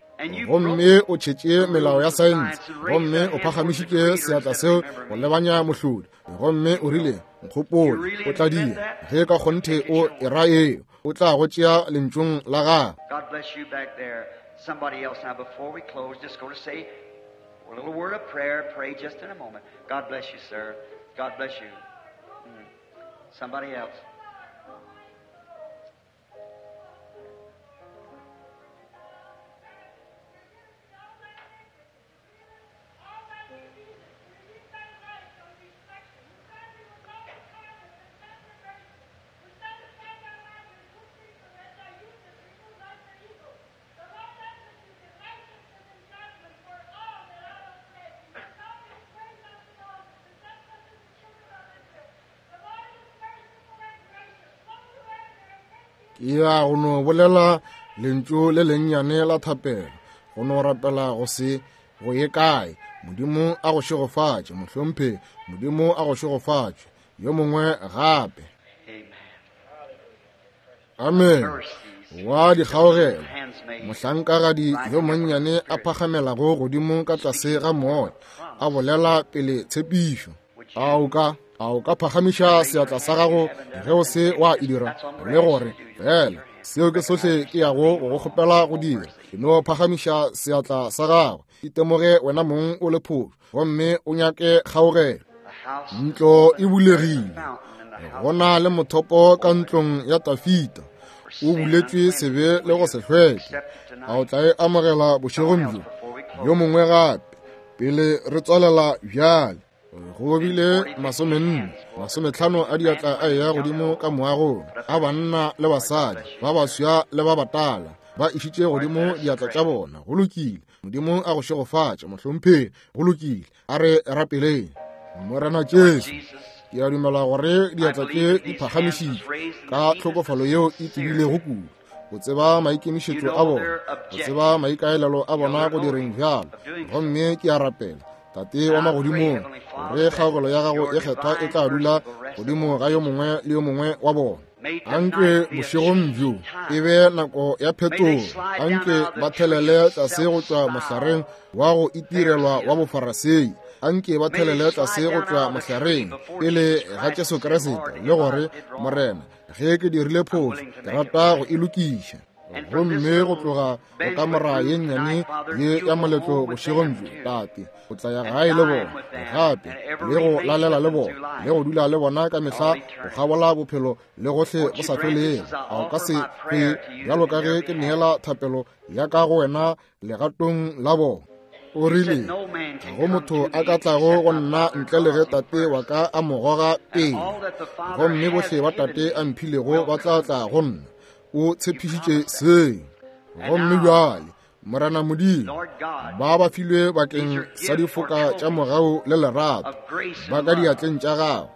Gomme o tšhetše melao ya saense, gomme o phagamišitše seatla seo go lebanya mohlodi, gomme o rile nkgopole, o tla dira ge ka kgonthe o e ra eo, o tla go tšea lentšong la gago. Somebody else now, before we close, just going to say a little word of prayer. Pray just in a moment. God bless you, sir. God bless you. Mm. Somebody else. Ke ya go no bolela lentšu le lennyane la thapelo, go no rapela go se go ye kae. Modimo a go šegofatše, mohlomphe. Modimo a go šegofatše. Yo mongwe gape. Amen. Wa dikgaogelo, mohlankagadi yo monnyane a phagamelago godimo ka tlase ga moya, a bolela pele tshepišo. A o ka a o ka phagamiša seatla sa gago ge o se wa e dira, le gore fela Seo ke sohle ke yago go go kgopela go dira. Ke no phagamiša seatla sa gago. Itemoge wena mong o le phošo, gomme o nyake kgaogelo. Ntlo e bulegile. Go na le mothopo ka ntlong ya Tafita. O buletšwe sebe le go se hlweke. A o tla e amogela bošegong bjo? Yo mongwe gape pele re tswalela bjale. Go bile masomenne masometlhano a diatla a eya godimo ka moagong, a banna le basadi, ba baswa le ba batala, ba išitše godimo diatla tša bona. Go lokile. Modimo a go šegofatše, mohlomphegi. Go lokile. A re rapeleng. Morena Jesu, ke a dumela gore diatla tše di phagamišitšwe ka tlhokofalo yeo e tebilego kudu, go tseba maikemišetšo a bona, go tseba maikaelelo a bona go direng bjalo. Gomme ke a rapela, Tate wa magodimong, gore kgaogelo ya gago e kgethwa e tla dula godimo ga yo mongwe le yo mongwe wa bona. Anke bošegong bjo e be nako ya phetogo. Anke ba thelele tlase go tšwa mohlareng wa go itirelwa wa bofarasei. Anke ba thelele tlase go tšwa mohlareng pele ga Jesu Kriste, le gore, Morena, ge ke dirile phošo, ke rata go e lokiša. Gomme go tloga go kamora ye nnyane ye ya moletlo bošegong bjo, Tate, o tla ya gae le bona gape, le go lalela le bona, le go dula le bona ka mehla go kgabola bophelo le gohle go sa felego. A o ka se kwe bjalo ka ge ke neela thapelo ya ka go wena legatong la bona? O rile, ga go motho a ka tlago go nna ntle le ge Tate wa ka a mo goga pele, gomme bohle ba Tate a mphilego ba tla tla go nna. O tshepišitše seo. Gomme bjale, Morena Modimo, ba ba filwe bakeng sa difoka tša mogau le lerato, ba ka diatleng tša gago,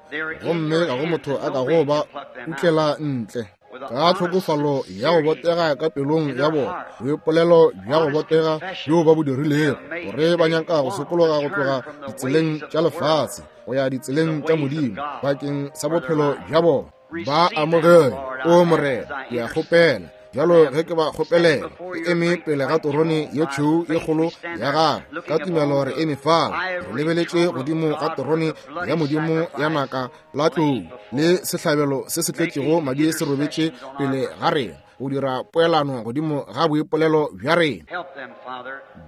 gomme ga go motho a ka go ba utlela ntle. Ka tlhokofalo ya go botega ka pelong ya bona, boipolelo bja go botega bjo ba bo dirilego, gore ba nyaka go sokologa go tloga ditseleng tša lefase go ya ditseleng tša Modimo bakeng sa bophelo bja bona. Ba amogele, o Morena, ke a kgopela. Bjalo ge ke ba kgopelela, ke eme pele ga terone ye tšhweu ye kgolo ya gagwe, ka tumelo re eme fao, re lebeletše godimo ga terone ya Modimo ya naka la tlou, le sehlabelo se se tletšego madi se robetše pele ga rena, go dira poelano godimo ga boipolelo bja rena.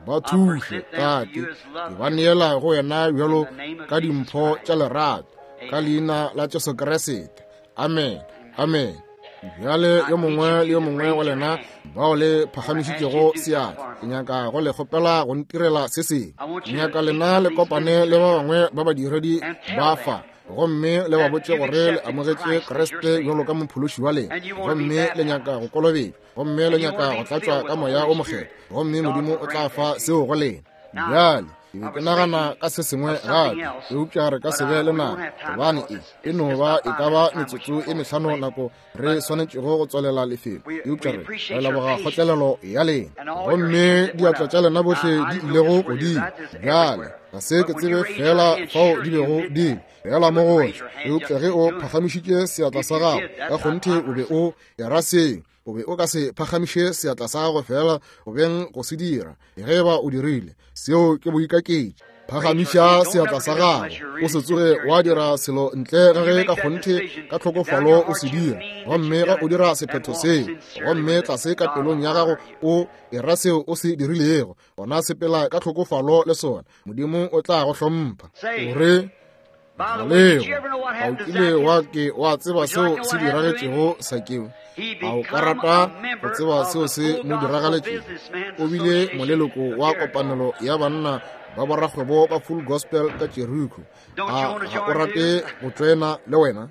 Ba thuše, Tate, ke ba neela go wena bjalo ka dimpho tša lerato, ka leina la Jesu Kriste. Amen. Amen. Bjale yo mongwe le yo mongwe wa lena bao le phagamišitšego seatla, ke nyaka go le kgopela go ntirela se sengwe. Ke nyaka lena le kopane le ba bangwe ba badiredi ba fa, gomme le ba botše gore le amogetše Kriste bjalo ka mophološi wa lena, gomme le nyaka go kolobetšwa, gomme le nyaka go tlatšwa ka Moya o Mokgethwa, gomme Modimo o tla fa seo go lena. Bjale ke be ke nagana ka se sengwe gape, eupša re ka se be le nako, gobane e e no ba e ka ba metsotso e mehlano nako re swanetšego go tswalela lefelo. Eupša re re leboga kgotlelelo ya lena, gomme diatla tša lena bohle di ilego godimo. Bjale ga se ke tsebe fela fao di bego di le fela mo gohle, eupša ge o phagamišitše seatla sa gago, ka kgonthe o be o era seo. O be o ka se phagamiše seatla sa gago fela go beng go se dira. Ge ba o dirile, seo ke boikaketši. Phagamiša seatla sa gago, o se tsoge wa dira selo ntle ga ge ka kgonthe ka tlhokofalo o se dira. Gomme ga o dira sephetho seo, gomme tlase ka pelong ya gago o era seo o se dirilego, gona sepela ka tlhokofalo le sona. Modimo o tla go hlompha. O re, Galego, a o kile wa ke wa tseba seo se diragetšego Sakeo? A o ka rata go tseba seo se mo diragaletšego? O bile moleloko wa kopanelo ya banna ba borakgwebo ba Full Gospel ka Jericho. A ga o rate go tsena le wena?